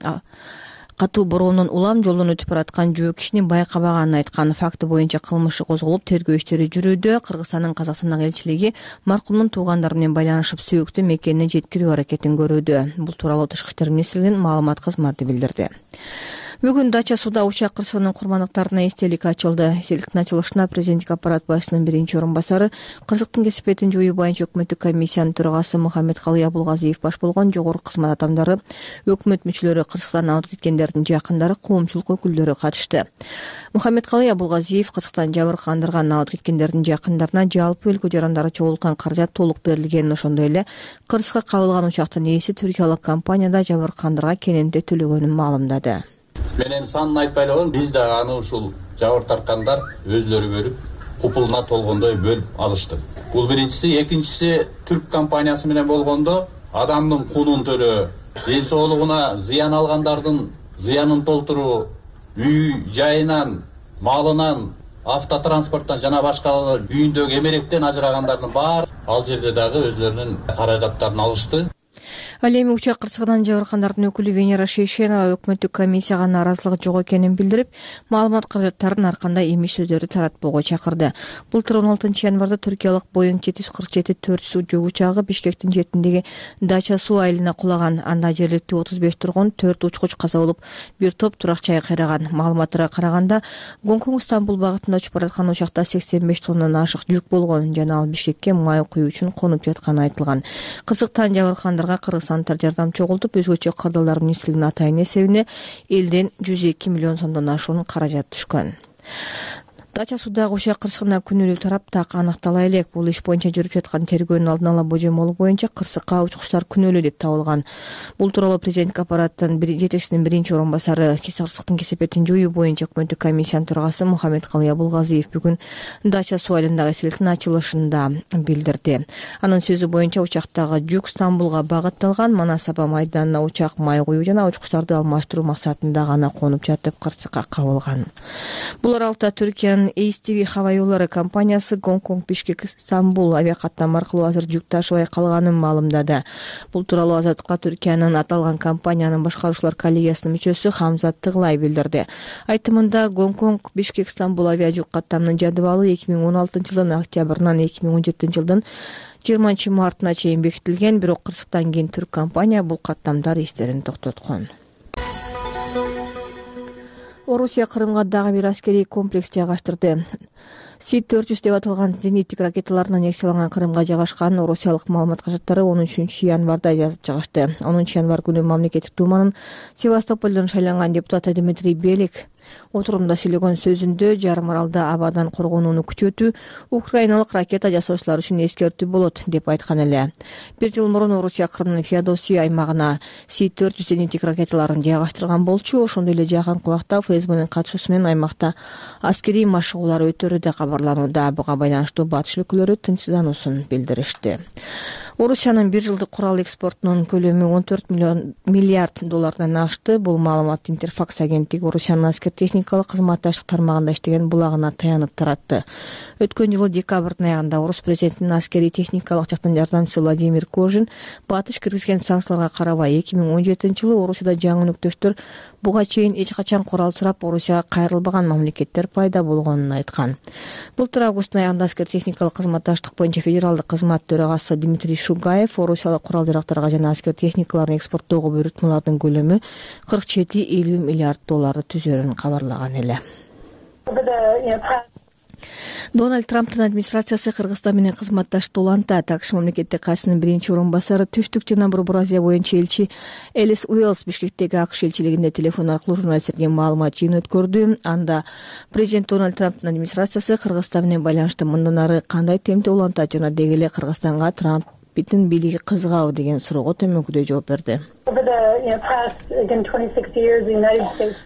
S4: катуу бороонун улам жолдон өтүп бараткан жөө кишини байкабаганын айткан. Факты боюнча кылмыш козголуп, тергөө иштери жүрүүдө. Кыргызстандын Казакстандагы элчилиги маркумдун туугандары менен байланышып, сүйүктүү мекенине жеткирүү аракетин көрүүдө. Бул тууралуу Тышкы иштер министрлигинин маалымат кызматы билдирди. Бүгүн Дача сууда учак кырсыгынын курмандыктарына эстелик ачылды. Эстеликтин ачылышына президенттик аппарат башчысынын биринчи орун басары, кырсыктын кесепетин жоюу боюнча өкмөттүк комиссиянын төрагасы Мухаммедкалый Абулгазиев баш болгон жогорку кызмат адамдары, өкмөт мүчөлөрү, кырсыктан абыт кеткендердин жакындары, коомчулук өкүлдөрү катышты. Мухаммедкалый Абулгазиев кырсыктан жабыркандырган абыт кеткендердин жакындарына жалпы өлкө жарандары чогулткан каражат толук берилгенин, ошондой эле кырсыкка кабылган учактын ээси түркиялык компанияда жабыркандырга кенемде төлөгөнүн маалымдады.
S16: Мен эми санын айтпай эле коеюн, биз да аны ушул жабыр тарткандар өзлөрү көрүп, купулуна толгондой бөлүп алышты. Бул биринчиси. Экинчиси, түрк компаниясы менен болгондо адамдын кунун төлөө, ден соолугуна зыян алгандардын зыянын толтуруу, үй жайынан, малынан, автотранспорттон жана башка үйүндөгү эмеректен ажырагандардын баары ал жерде дагы өзлөрүнүн каражаттарын алышты.
S4: Ал эми учак кырсыгынан жабыркандардын өкүлү Венера Шейшенова өкмөттүк комиссияга нааразылыгы жок экенин билдирип, маалымат каражаттарын ар кандай эмиш сөздөрдү таратпоого чакырды. Былтыр 16 январда түркиялык Boeing 747-400 жүк учагы Бишкектин четиндеги Дача суу айылына кулаган. Анда жергиликтүү 35 тургун, 4 учкуч каза болуп, бир топ турак жай кыйраган. Маалыматтарга караганда, Гонконг-Стамбул багытында учуп бараткан учакта 85 тоннадан ашык жүк болгон жана ал Бишкекке май куюу үчүн конуп жатканы айтылган. Кырсыктан жабыркандырга Кыргызстандыктар жардам чогултуп, өзгөчө кырдаалдар министрлигинин атайын эсебине элден 102 миллион сомдон ашуун каражат түшкөн. Дача суудагы учак кырсыгына күнөөлүү тарап так аныктала элек. Бул иш боюнча жүрүп жаткан тергөөнүн алдын ала божомолу боюнча кырсыкка учкучтар күнөөлүү деп табылган. Бул тууралуу президенттик аппараттын жетекчисинин биринчи орун басары, кырсыктын кесепетин жоюу боюнча өкмөттүк комиссиянын төрагасы Мухаммедкалый Абулгазиев бүгүн Дача суу айылындагы эстеликтин ачылышында билдирди. Анын сөзү боюнча учактагы жүк Стамбулга багытталган. Манас-Аба майданына учак май куюу жана учкучтарды алмаштыруу максатында гана конуп жатып кырсыкка кабылган. Бул аралыкта Түркиянын ASTV хава жолдору компаниясы Гонконг, Бишкек, Стамбул авиакаттам аркылуу азыр жүк ташыбай калганын маалымдады. Бул тууралуу Азаттыкка Түркиянын аталган компаниянын башкаруучулар коллегиясынын мүчөсү Хамзат Тыглай билдирди. Айтымында Гонконг, Бишкек, Стамбул авиа жүк каттамынын жадыбалы 2016 жылдын октябрынан 2017 жылдын 20 мартына чейин бекитилген, бирок кырсыктан кийин түрк компания бул каттамдар истерин токтоткон. Орусия Кырымга дагы бир аскерий комплекс жайгаштырды. С-400 деп аталган зениттик ракеталарын аннексияланган Кырымга жайгашкан орусиялык маалымат кажаттары 13 январда жазып чыгышты. 10 январь күнү мамлекеттик думанын Севастополдон шайланган депутаты Дмитрий Белик Отурумда сүйлөгөн сөзүндө жарым аралда абадан коргонууну күчөтүү украиналык ракета жасоочулар үчүн эскертүү болот деп айткан эле. Бир жыл мурун Орусия Крымдын Феодосия аймагына С-400 зениттик ракеталарын жайгаштырган болчу. Ошондой эле жакынкы убакта ФСБнын катышуусу менен аймакта аскерий машыгуулар өтөрү да кабарланууда. Буга байланыштуу батыш өлкөлөрү тынчсыздануусун билдиришти. Орусиянын бир жылдык курал экспортунун көлөмү 14 миллиард доллардан ашты. Бул маалыматты Интерфакс агенттиги Орусиянын аскер техникалык кызматташтык тармагында иштеген булагына таянып таратты. Өткөн жылы декабрдын аягында Орус президентинин аскерий техникалык жактан жардамчысы Владимир Кожин батыш киргизген санкцияларга карабай 2017-жылы Орусияда жаңы өнөктөштөр буга чейин эч качан курал сурап Орусияга кайрылбаган мамлекеттер пайда болгонун айткан. Былтыр августтун аягында аскер техникалык кызматташтык боюнча федералдык кызмат төрагасы Дмитрий Шугаев Орусиялык курал жарактарга жана аскер техникаларын экспорттоого буйрутмалардын көлөмү 47-50 миллиард долларды түзөрүн кабарлаган эле. Дональд Трамптын администрациясы Кыргызстан менен кызматташты улантат. АКШ мамлекеттик катчысынын биринчи орун басары Түштүк жана Борбор Азия боюнча элчи Элис Уэллс Бишкектеги АКШ элчилигинде телефон аркылуу журналисттерге маалымат жыйын өткөрдү. Анда президент Дональд Трамптын администрациясы Кыргызстан менен байланышты мындан ары кандай темпте улантат жана деги эле Кыргызстанга Трамптын бийлиги кызыгабы деген суроого төмөнкүдөй жооп берди.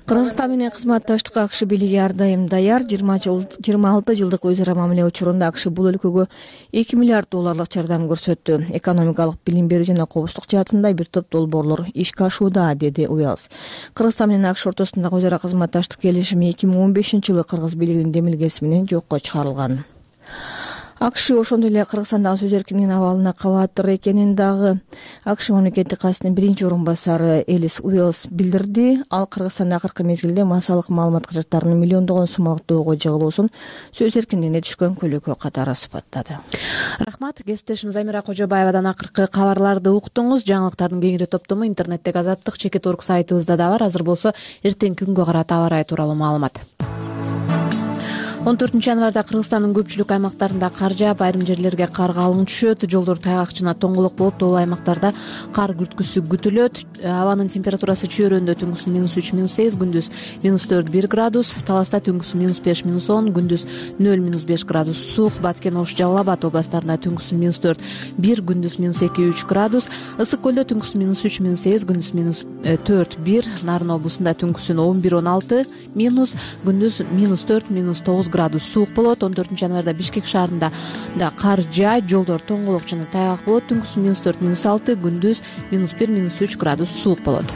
S4: Кыргызстан менен кызматташтыкка АКШ бийлиги ар дайым даяр. 26 жылдык өз ара мамиле учурунда АКШ бул өлкөгө 2 миллиард долларлык жардам көрсөттү. Экономикалык, билим берүү жана коопсуздук жаатында бир топ долбоорлор ишке ашууда, деди Уэллс. Кыргызстан менен АКШ ортосундагы өз ара кызматташтык келишими 2015-жылы кыргыз бийлигинин демилгеси менен жокко чыгарылган. АКШ ошондой эле Кыргызстандагы сөз эркиндигинин абалына кабаттыр экенин дагы АКШ мамлекеттик катчысынын биринчи орун басары Элис Уэллс билдирди. Ал Кыргызстанда акыркы мезгилде массалык маалымат каражаттарынын миллиондогон сомалык доого жыгылуусун сөз эркиндигине түшкөн көлөкө катары сыпаттады.
S1: Рахмат. Кесиптешим Замира Кожобаевадан акыркы кабарларды уктуңуз. Жаңылыктардын кеңири топтому интернеттеги Азаттык.org сайтыбызда да бар. Азыр болсо эртең күнгө карата аба ырайы тууралуу маалымат. 14-январда Кыргызстандын көпчүлүк аймактарында кар жаап, айрым жерлерге кар калың түшөт. Жолдор тайгак жана тоңголок болуп, тоолуу аймактарда кар күрткүсү күтүлөт. Абанын температурасы чөйрөндө түнкүсүн -3, -8, күндүз -4-1 градус, Таласта түнкүсүн -5, -10, күндүз 0-5 градус суук. Баткен, Ош, Жалал Абад областарында түнкүсүн -4-1, күндүз -2-3 градус. Ысык көлдө түнкүсүн -3, -8, күндүз -4-1. Нарын облусунда түнкүсүн 11-16, күндүз -4-9 градус суук болот. 14-январда Бишкек шаарында да кар жаайт, жолдор тоңголок жана тайгак болот. Түнкүсүн -4-6, күндүз -1-3 градус суук болот.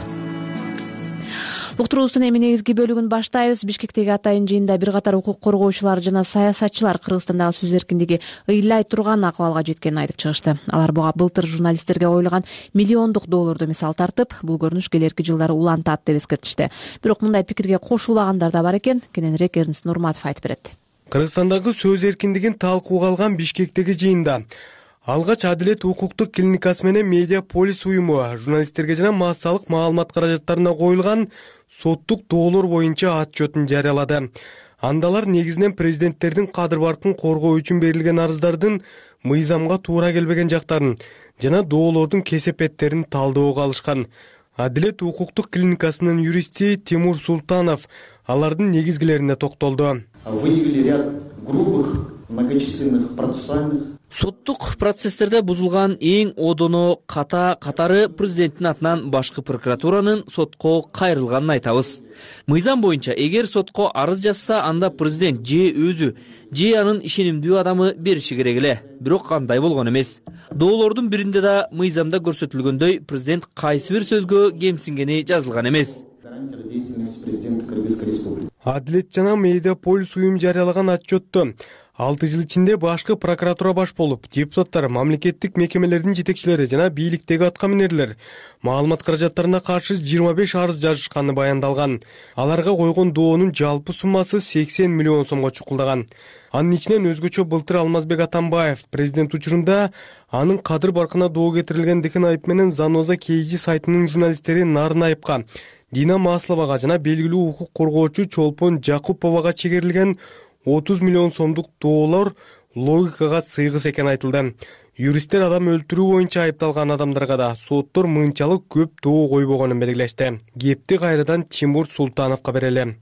S1: Уктуруубуздун эми негизги бөлүгүн баштайбыз. Бишкектеги атайын жыйында бир катар укук коргоочулар жана саясатчылар Кыргызстандагы сөз эркиндиги ыйлай турган акыбалга жеткенин айтып чыгышты. Алар буга былтыр журналисттерге коюлган миллиондук долларды мисал тартып, бул көрүнүш келерки жылдары улантат деп эскертишти. Бирок мындай пикирге кошулбагандар да бар экен. Кененирээк Эрнст Нурматов айтып берет.
S17: Кыргызстандагы сөз эркиндигин талкууга алган Бишкектеги жыйында алгач Адилет укуктук клиникасы менен Медиаполис уюму журналисттерге жана массалык маалымат каражаттарына коюлган соттук доолор боюнча отчетун жарыялады. Андалар негизинен президенттердин кадыр баркын коргоо үчүн берилген арыздардын мыйзамга туура келбеген жактарын жана доолордун кесепеттерин талдөөгө алышкан. Адилет укуктук клиникасынын юристи Тимур Султанов алардын негизгилерине токтолду.
S18: Выявили ряд грубых, многочисленных процессуальных.
S19: Соттук процесстерде бузулган эң одоно катары президенттин атынан башкы прокуратуранын сотко кайрылганын айтабыз. Мыйзам боюнча эгер сотко арыз жазса, анда президент же өзү, же анын ишенимдүү адамы бериши керек эле. Бирок кандай болгон эмес. Доолордун биринде да мыйзамда көрсөтүлгөндөй президент кайсы бир сөзгө кемсингени жазылган эмес.
S17: Адилет жана Медиаполис уюм жарыялаган отчетту 6 жыл ичинде башкы прокуратура баш болуп, депутаттар, мамлекеттик мекемелердин жетекчилери жана бийликтеги аткаминерлер маалымат каражаттарына каршы 25 арыз жазышканы баяндалган. Аларга койгон доонун жалпы суммасы 80 миллион сомго чукулдаган. Анын ичинен өзгөчө былтыр Алмазбек Атамбаев президент учурунда анын кадыр баркына доо кетирилгендигин айып менен Заноза KG сайтынын журналисттери Нарын Айыпка, Дина Масловага жана белгилүү укук коргоочу Чолпон Жакуповага чегерилген 30 миллион сомдук доолор логикага сыйгыс экени айтылды. Юристтер адам өлтүрүү боюнча айыпталган адамдарга да соттор мынчалык көп доо койбогонун белгилешти. Кепти кайрадан Тимур Султановго берели.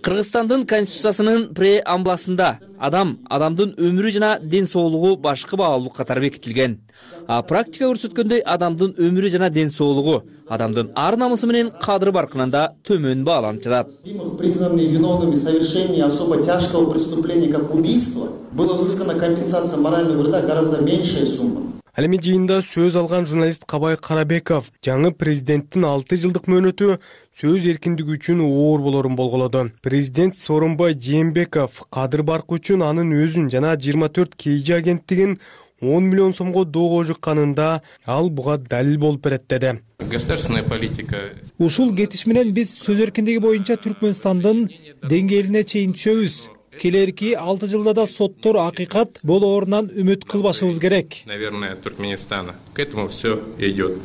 S19: Кыргызстандын конституциясынын преамбласында адамдын өмүрү жана ден соолугу башкы баалуу катары бекитилген. А практика көрсөткөндөй адамдын өмүрү жана ден соолугу адамдын ар намысы менен кадыры баркынан да төмөн бааланып жатат.
S18: Признанные виновными в совершении особо тяжкого преступления, как убийство, была взыскана компенсация морального вреда гораздо меньшая сумма.
S17: Ал эми жыйында сөз алган журналист Кабай Карабеков жаңы президенттин 6 жылдык мөөнөтү сөз эркиндиги үчүн оор болорун болголоду. Президент Сооронбай Жээнбеков кадыр баркы үчүн анын өзүн жана 24 KG агенттигин 10 миллион сомго доого жыкканында ал буга далил болуп берет деди.
S20: Государственная политика.
S21: Ушул кетиш менен биз сөз эркиндиги боюнча Түркмөнстандын деңгээлине чейин түшөбүз. Келерки 6 жылда да соттор акыйкат болоорунан үмүт кылбашыбыз керек.
S20: Наверное, Туркменистана. К этому все идет.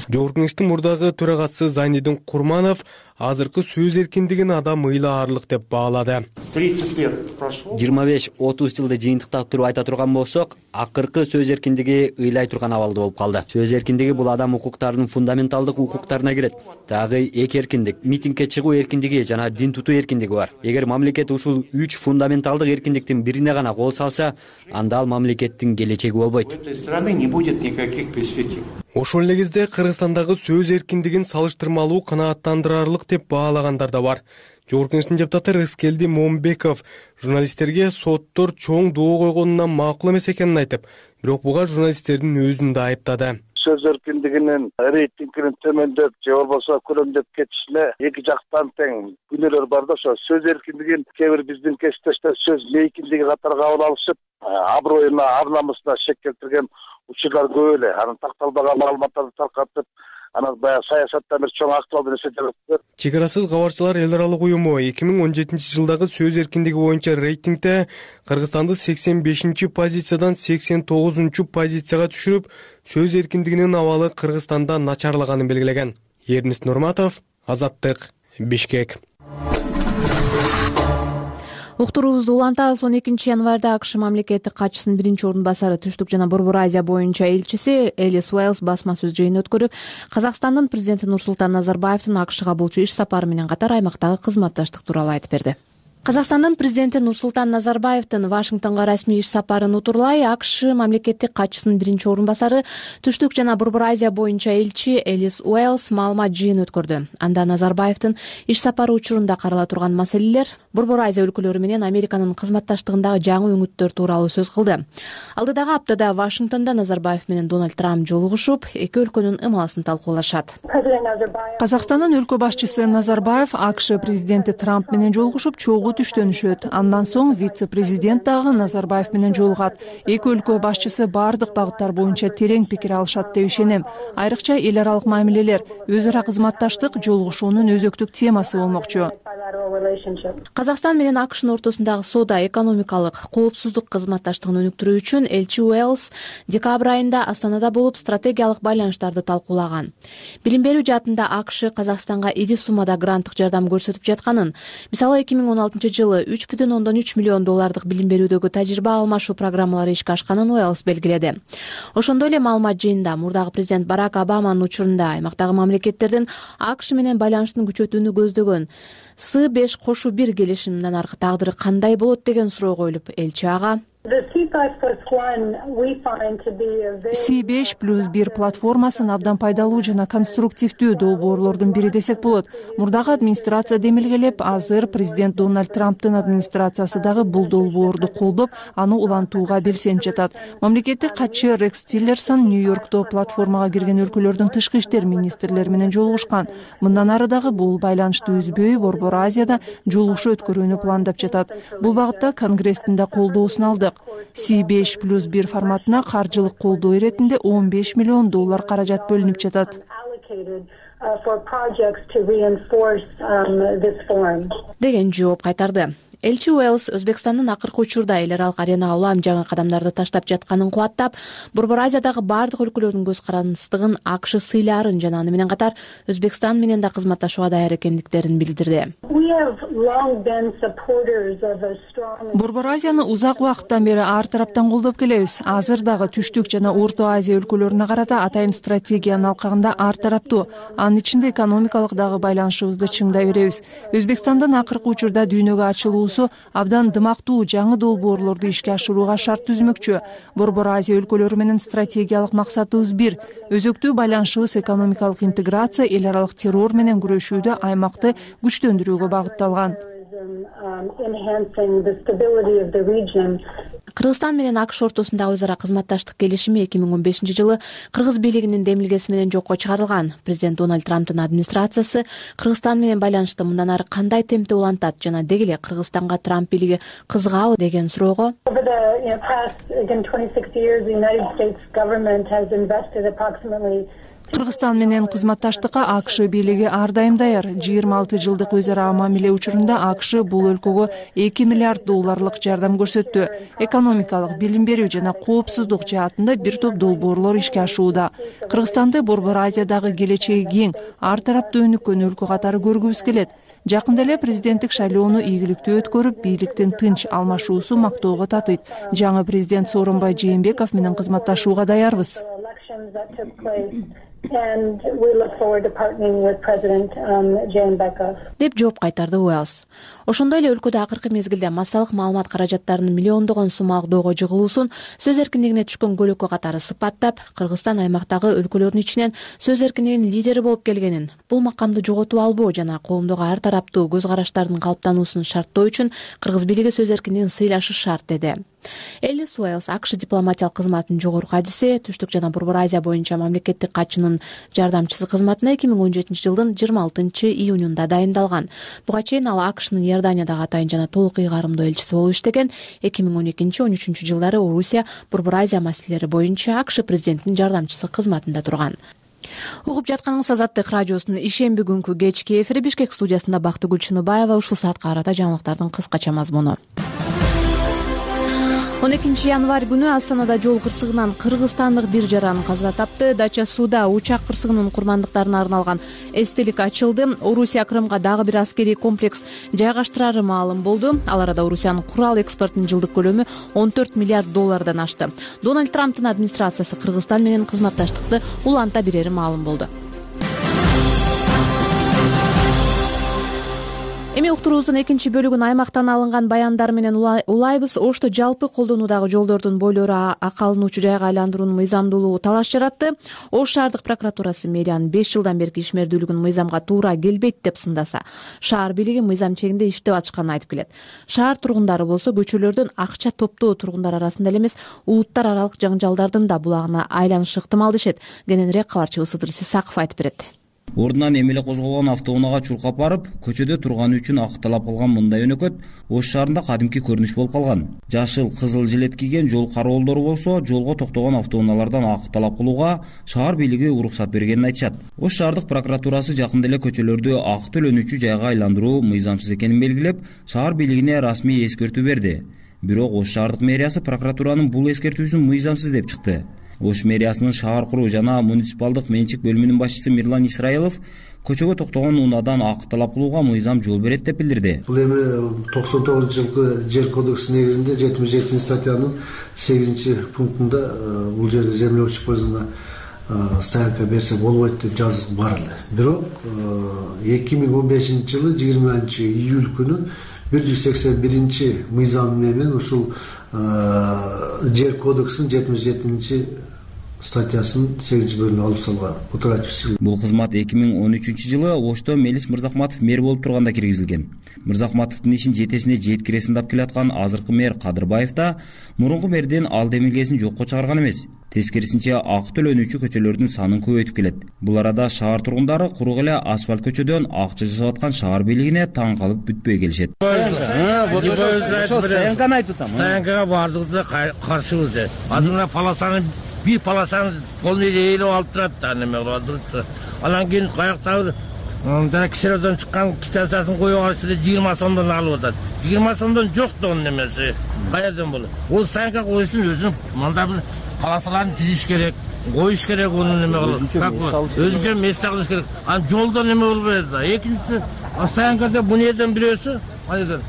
S17: Жогорку кеңештин мурдагы төрагасы Зайнидин Курманов азыркы сөз эркиндигин адам ыйлаарлык деп баалады.
S22: 30 лет прошло. 25-30 жылды жыйынтыктап туруп айта турган болсок, акыркы сөз эркиндиги ыйлай турган абалда болуп калды. Сөз эркиндиги бул адам укуктарынын фундаменталдык укуктарына кирет. Дагы эки эркиндик, митингге чыгуу эркиндиги жана дин тутуу эркиндиги бар. Эгер мамлекет ушул 3 фундаменталдык эркиндиктин бирине гана кол салса, анда ал мамлекеттин келечеги болбойт. В этой стране не будет никаких перспектив.
S17: Ошол эле кезде Кыргызстандагы сөз эркиндигин салыштырмалуу канааттандырарлык деп баалагандар да бар. Жогорку кеңештин депутаты Рыскелди Момбеков журналисттерге соттор чоң доо койгонунан макул эмес экенин айтып, бирок буга журналисттердин өзүн да айыптады.
S14: Сөз эркиндигинин рейтингинин төмөндөп же болбосо көрөмдөп кетишине эки жактан тең күнөөлөр бар да, ошо сөз эркиндигин кээ бир биздин кесиптештер сөз мейкиндиги катары кабыл алышып, аброюна, ар намысына шек келтирген учурлар көп эле. Анын такталбаган маалыматтарды таркатып, анан баягы саясаттан бир чоң актуалдуу нерсе жаратты.
S17: Чек арасыз кабарчылар эл аралык уюму 2017-жылдагы сөз эркиндиги боюнча рейтингде Кыргызстанды 85-чи позициядан 89-чу позицияга түшүрүп, сөз эркиндигинин абалы Кыргызстанда начарлаганын белгилеген. Эрнис Нурматов, Азаттык, Бишкек.
S1: Уктуруубузду улантабыз. 12 январда АКШ мамлекеттик катчысынын биринчи орун басары Түштүк жана Борбор Азия боюнча элчиси Элис Уэллс басма сөз жыйын өткөрүп, Казакстандын президенти Нурсултан Назарбаевдин АКШга болчу иш сапары менен катар аймактагы кызматташтык тууралуу айтып берди. Казакстандын президенти Нурсултан Назарбаевдин Вашингтонго расмий иш сапарын утурлай АКШ мамлекеттик катчысынын биринчи орун басары Түштүк жана Борбор Азия боюнча элчи Элис Уэллс маалымат жыйын өткөрдү. Анда Назарбаевдин иш сапары учурунда карала турган маселелер, Борбор Азия өлкөлөрү менен Американын кызматташтыгындагы жаңы өңүттөр тууралуу сөз кылды. Алдыдагы аптада Вашингтондо Назарбаев менен Дональд Трамп жолугушуп, эки өлкөнүн ымаласын талкуулашат.
S15: Казакстандын өлкө башчысы Назарбаев АКШ президенти Трамп менен жолугушуп, чогуу түштөнүшөт. Андан соң вице-президент дагы Назарбаев менен жолугат. Эки өлкө башчысы бардык багыттар боюнча терең пикир алышат деп ишенем. Айрыкча эл аралык мамилелер, өз ара кызматташтык жолугушуунун өзөктүк темасы болмокчу.
S1: Казакстан менен АКШнын ортосундагы соода, экономикалык, коопсуздук кызматташтыгын өнүктүрүү үчүн элчи Уэллс декабрь айында Астанада болуп стратегиялык байланыштарды талкуулаган. Билим берүү жаатында АКШ Казакстанга ири суммада гранттык жардам көрсөтүп жатканын, мисалы 2016-жылы 3,3 миллион доллардык билим берүүдөгү тажрыйба алмашуу программалары ишке ашканын Уэллс белгиледи. Ошондой эле маалымат жыйында мурдагы президент Барак Обаманын учурунда аймактагы мамлекеттердин АКШ менен байланыштын күчөтүүнү көздөгөн С5+1 келишиминен аркы тагдыры кандай болот деген суроо коюлуп, элчи ага
S15: C5+1 платформасын абдан пайдалуу жана конструктивдүү долбоорлордун бири десек болот. Мурдагы администрация демилгелеп, азыр президент Дональд Трамптын администрациясы дагы бул долбоорду колдоп, аны улантууга белсенип жатат. Мамлекеттик катчы Рекс Тиллерсон Нью-Йоркто платформага кирген өлкөлөрдүн тышкы иштер министрлери менен жолугушкан. Мындан ары дагы бул байланышты үзбөй Борбор Азияда жолугушуу өткөрүүнү пландап жатат. Бул багытта Конгресстин да колдоосун алдык. C5+1 форматына каржылык колдоо иретинде $15 миллион каражат бөлүнүп жатат.
S1: деген жооп кайтарды. Элчи Уэлс Өзбекстандын акыркы учурда эл аралык аренага улам жаңы кадамдарды таштап жатканын кубаттап, Борбор Азиядагы бардык өлкөлөрдүн көз карандыстыгын, АКШ сыйларын жана аны менен катар Өзбекстан менен да кызматташууга даяр экендиктерин билдирди.
S15: Борбор Азияны узак убакыттан бери ар тараптан колдоп келебиз. Азыр дагы Түштүк жана Орто Азия өлкөлөрүнө карата атайын стратегиянын алкагында ар тараптуу, анын ичинде экономикалык дагы байланышыбызды чыңдай беребиз. Өзбекстандын акыркы учурда дүйнөгө ачылуусу абдан дымактуу жаңы долбоорлорду ишке ашырууга шарт түзмөкчү. Борбор Азия өлкөлөрү менен стратегиялык максатыбыз бир. Өзөктүү байланышыбыз экономикалык интеграция, эл аралык террор менен күрөшүүдө аймакты күчтөндүрүүгө багытталган.
S1: Кыргызстан менен АКШ ортосундагы өз ара кызматташтык келишими 2015-жылы кыргыз бийлигинин демилгеси менен жокко чыгарылган. Президент Дональд Трамптын администрациясы Кыргызстан менен байланышты мындан ары кандай темпте улантат жана деги эле Кыргызстанга Трамп бийлиги кызыгабы деген суроого
S15: Кыргызстан менен кызматташтыкка АКШ бийлиги ар дайым даяр. 26 жылдык өз ара мамиле учурунда АКШ бул өлкөгө $2 миллиард жардам көрсөттү. Экономикалык, билим берүү жана коопсуздук жаатында бир топ долбоорлор ишке ашууда. Кыргызстанды Борбор Азиядагы келечеги кең, ар тараптуу өнүккөн өлкө катары көргүбүз келет. Жакында эле президенттик шайлоону ийгиликтүү өткөрүп, бийликтин тынч алмашуусу мактоого татыйт. Жаңы президент Сооронбай Жээнбеков менен кызматташууга даярбыз.
S1: деп жооп кайтарды Уэлс. Ошондой эле өлкөдө акыркы мезгилде массалык маалымат каражаттарынын миллиондогон сомалык доого жыгылуусун сөз эркиндигине түшкөн көлөккө катары сыпаттап, Кыргызстан аймактагы өлкөлөрдүн ичинен сөз эркиндигинин лидери болуп келгенин, бул макамды жоготуп албоо жана коомдогу ар тараптуу көз караштардын калыптануусун шарттоо үчүн кыргыз бийлиги сөз эркиндигин сыйлашы шарт деди. Элис Уэлс АКШ дипломатиялык кызматынын жогорку адиси, Түштүк жана Борбор Азия боюнча мамлекеттик катчынын жардамчысы кызматына 2017-жылдын 26-июнунда дайындалган. Буга чейин ал АКШнын Иорданиядагы атайын жана толук ыйгарымдуу элчиси болуп иштеген. 2012-13 жылдары Орусия Борбор Азия маселелери боюнча АКШ президентинин жардамчысы кызматында турган. Угуп жатканыңыз Азаттык радиосунун ишемби күнкү кечки эфири. Бишкек студиясында Бактыгүл Чыныбаева. Ушул саатка карата жаңылыктардын кыскача мазмуну. 12 январь күнү Астанада жол кырсыгынан кыргызстандык бир жаран каза тапты. Дача сууда учак кырсыгынын курмандыктарына арналган эстелик ачылды. Орусия Крымга дагы бир аскерий комплекс жайгаштырары маалым болду. Ал арада Орусиянын курал экспортунун жылдык көлөмү $14 миллиард ашты. Дональд Трамптын администрациясы Кыргызстан менен кызматташтыкты уланта берери маалым болду. Эми уктуруубуздун экинчи бөлүгүн аймактан алынган баяндар менен улайбыз. Ошто жалпы колдонуудагы жолдордун бойлору акалынуучу жайга айландыруунун мыйзамдуулугу талаш жаратты. Ош шаардык прокуратурасы мэриянын 5 жылдан берки ишмердүүлүгүн мыйзамга туура келбейт деп сындаса, шаар бийлиги мыйзам чегинде иштеп атышканын айтып келет. Шаар тургундары болсо көчөлөрдөн акча топтоо тургундар арасында эле эмес, улуттар аралык жаңжалдардын да булагына айланышы ыктымал дешет. Кененирээк кабарчыбыз Сыдыр Сисаков айтып берет.
S6: Ордунан эмеле козголгон автоунаага чуркап барып, көчөдө турганы үчүн акталап калган мындай өнөкөт Ош шаарында кадимки көрүнүш болуп калган. Жашыл, кызыл жилет кийген жол кароолдору болсо, жолго токтогон автоуналардан акталап кылууга шаар бийлиги уруксат бергенин айтышат. Ош шаардык прокуратурасы жакында эле көчөлөрдү ак төлөнүүчү жайга айландыруу мыйзамсыз экенин белгилеп, шаар бийлигине расмий эскертүү берди. Бирок Ош шаардык мэриясы прокуратуранын бул эскертүүсүн мыйзамсыз деп чыкты. Ош мэриясынын шаар куруу жана муниципалдык менчик бөлүмүнүн башчысы Мирлан Исраилов көчөгө токтогон унаадан акталап кылууга мыйзам жол берет деп билдирди.
S7: Бул эми 99-жылкы жер кодекси негизинде 77-статьянын 8-пунктунда бул жерде землеучий пользование стоянка берсе болбойт деп жазып бар эле. Бирок 2015-жылы 20-июль күнү 181 менен ушул жер кодексинин 77 статьясын 8-бөлүмүнө алып салган.
S6: Бул кызмат 2013-жылы Ошто Мелис Мырзахматов мэр болуп турганда киргизилген. Мырзахматовдун ишин жетесине жеткире сындап келаткан азыркы мэр Кадырбаев да мурунку мэрден ал демилгесин жокко чыгарган эмес. Тескерисинче ак төлөнүүчү көчөлөрдүн санын көбөйтүп келет. Бул арада шаар тургундары курук эле асфальт көчөдөн акча жасап аткан шаар бийлигине таң калып бүтпөй келишет.
S23: Стоянкага бардыгыбызда каршыбыз. Азыр полосаны бир полосаны колун ээлеп алып турат да, неме кылып турат. Анан кийин каяктагы жана кишилерден чыккан квитанциясын коюп алыш эле 20 сомдон алып атат. 20 сомдон жок да онун немеси. Каерден болот? Ол стоянка коюш үчүн өзүнүн мындай бир полосаларын тизиш керек, коюш керек, onu неме кылып. Как болот? Өзүнчө месте кылыш керек. Анан жолдо неме болбой атат. Экинчиси, стоянкада бу жерден бирөөсү, айдыр.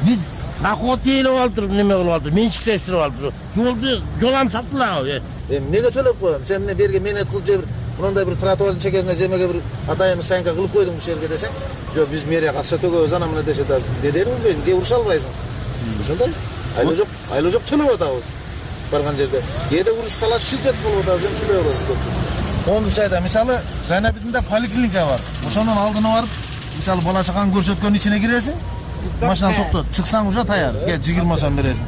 S23: Бир доход элеп алып, неме кылып алып, менчиктештирип алып. Жолду жолам сатылабы?
S9: Эмнеге төлөп коем? Сен эмне берге менет кылып же бир мындай бир тротуардын чекесине жемеге бир атайын стоянка кылып койдуң ушул жерге десең, жок биз мэрия акча төгөбүз ана мына дешет. Дедери билбейсиң, же уруша албайсың. Ошондой. Айла жок төлөп атабыз. Барган жерде. Кээде уруш талаш шилдет болуп атабыз, ушундай болот. Коомдук жайда мисалы Зайнабидинде поликлиника бар. Ошонун алдына барып, мисалы бала чаканы көрсөткөн ичине киресиң, машинаны токтот, чыксаң уже таяр. 20 сом бересиң.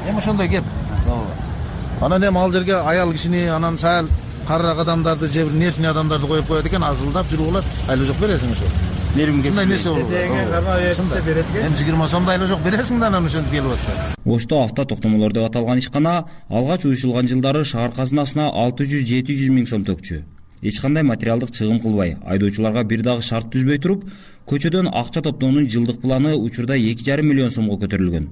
S9: Эми ошондой кеп. Анан эми ал жерге аял кишини, анан сал карыраак адамдарды, же бир нервный адамдарды коюп коет экен, азылдап жүрүп алат. Айла жок бересиң ошо. Ушундай нерсе болот. Эми 20 сомдо айла жок бересиң да анан ошентип келип атса.
S6: Ошто авто токтомолор деп аталган ишкана алгач уюшулган жылдары шаар казынасына 600-700 миң сом төкчү. Эч кандай материалдык чыгым кылбай, айдоочуларга бир дагы шарт түзбөй туруп, көчөдөн акча топтоонун жылдык планы учурда 2,5 миллион сомго көтөрүлгөн.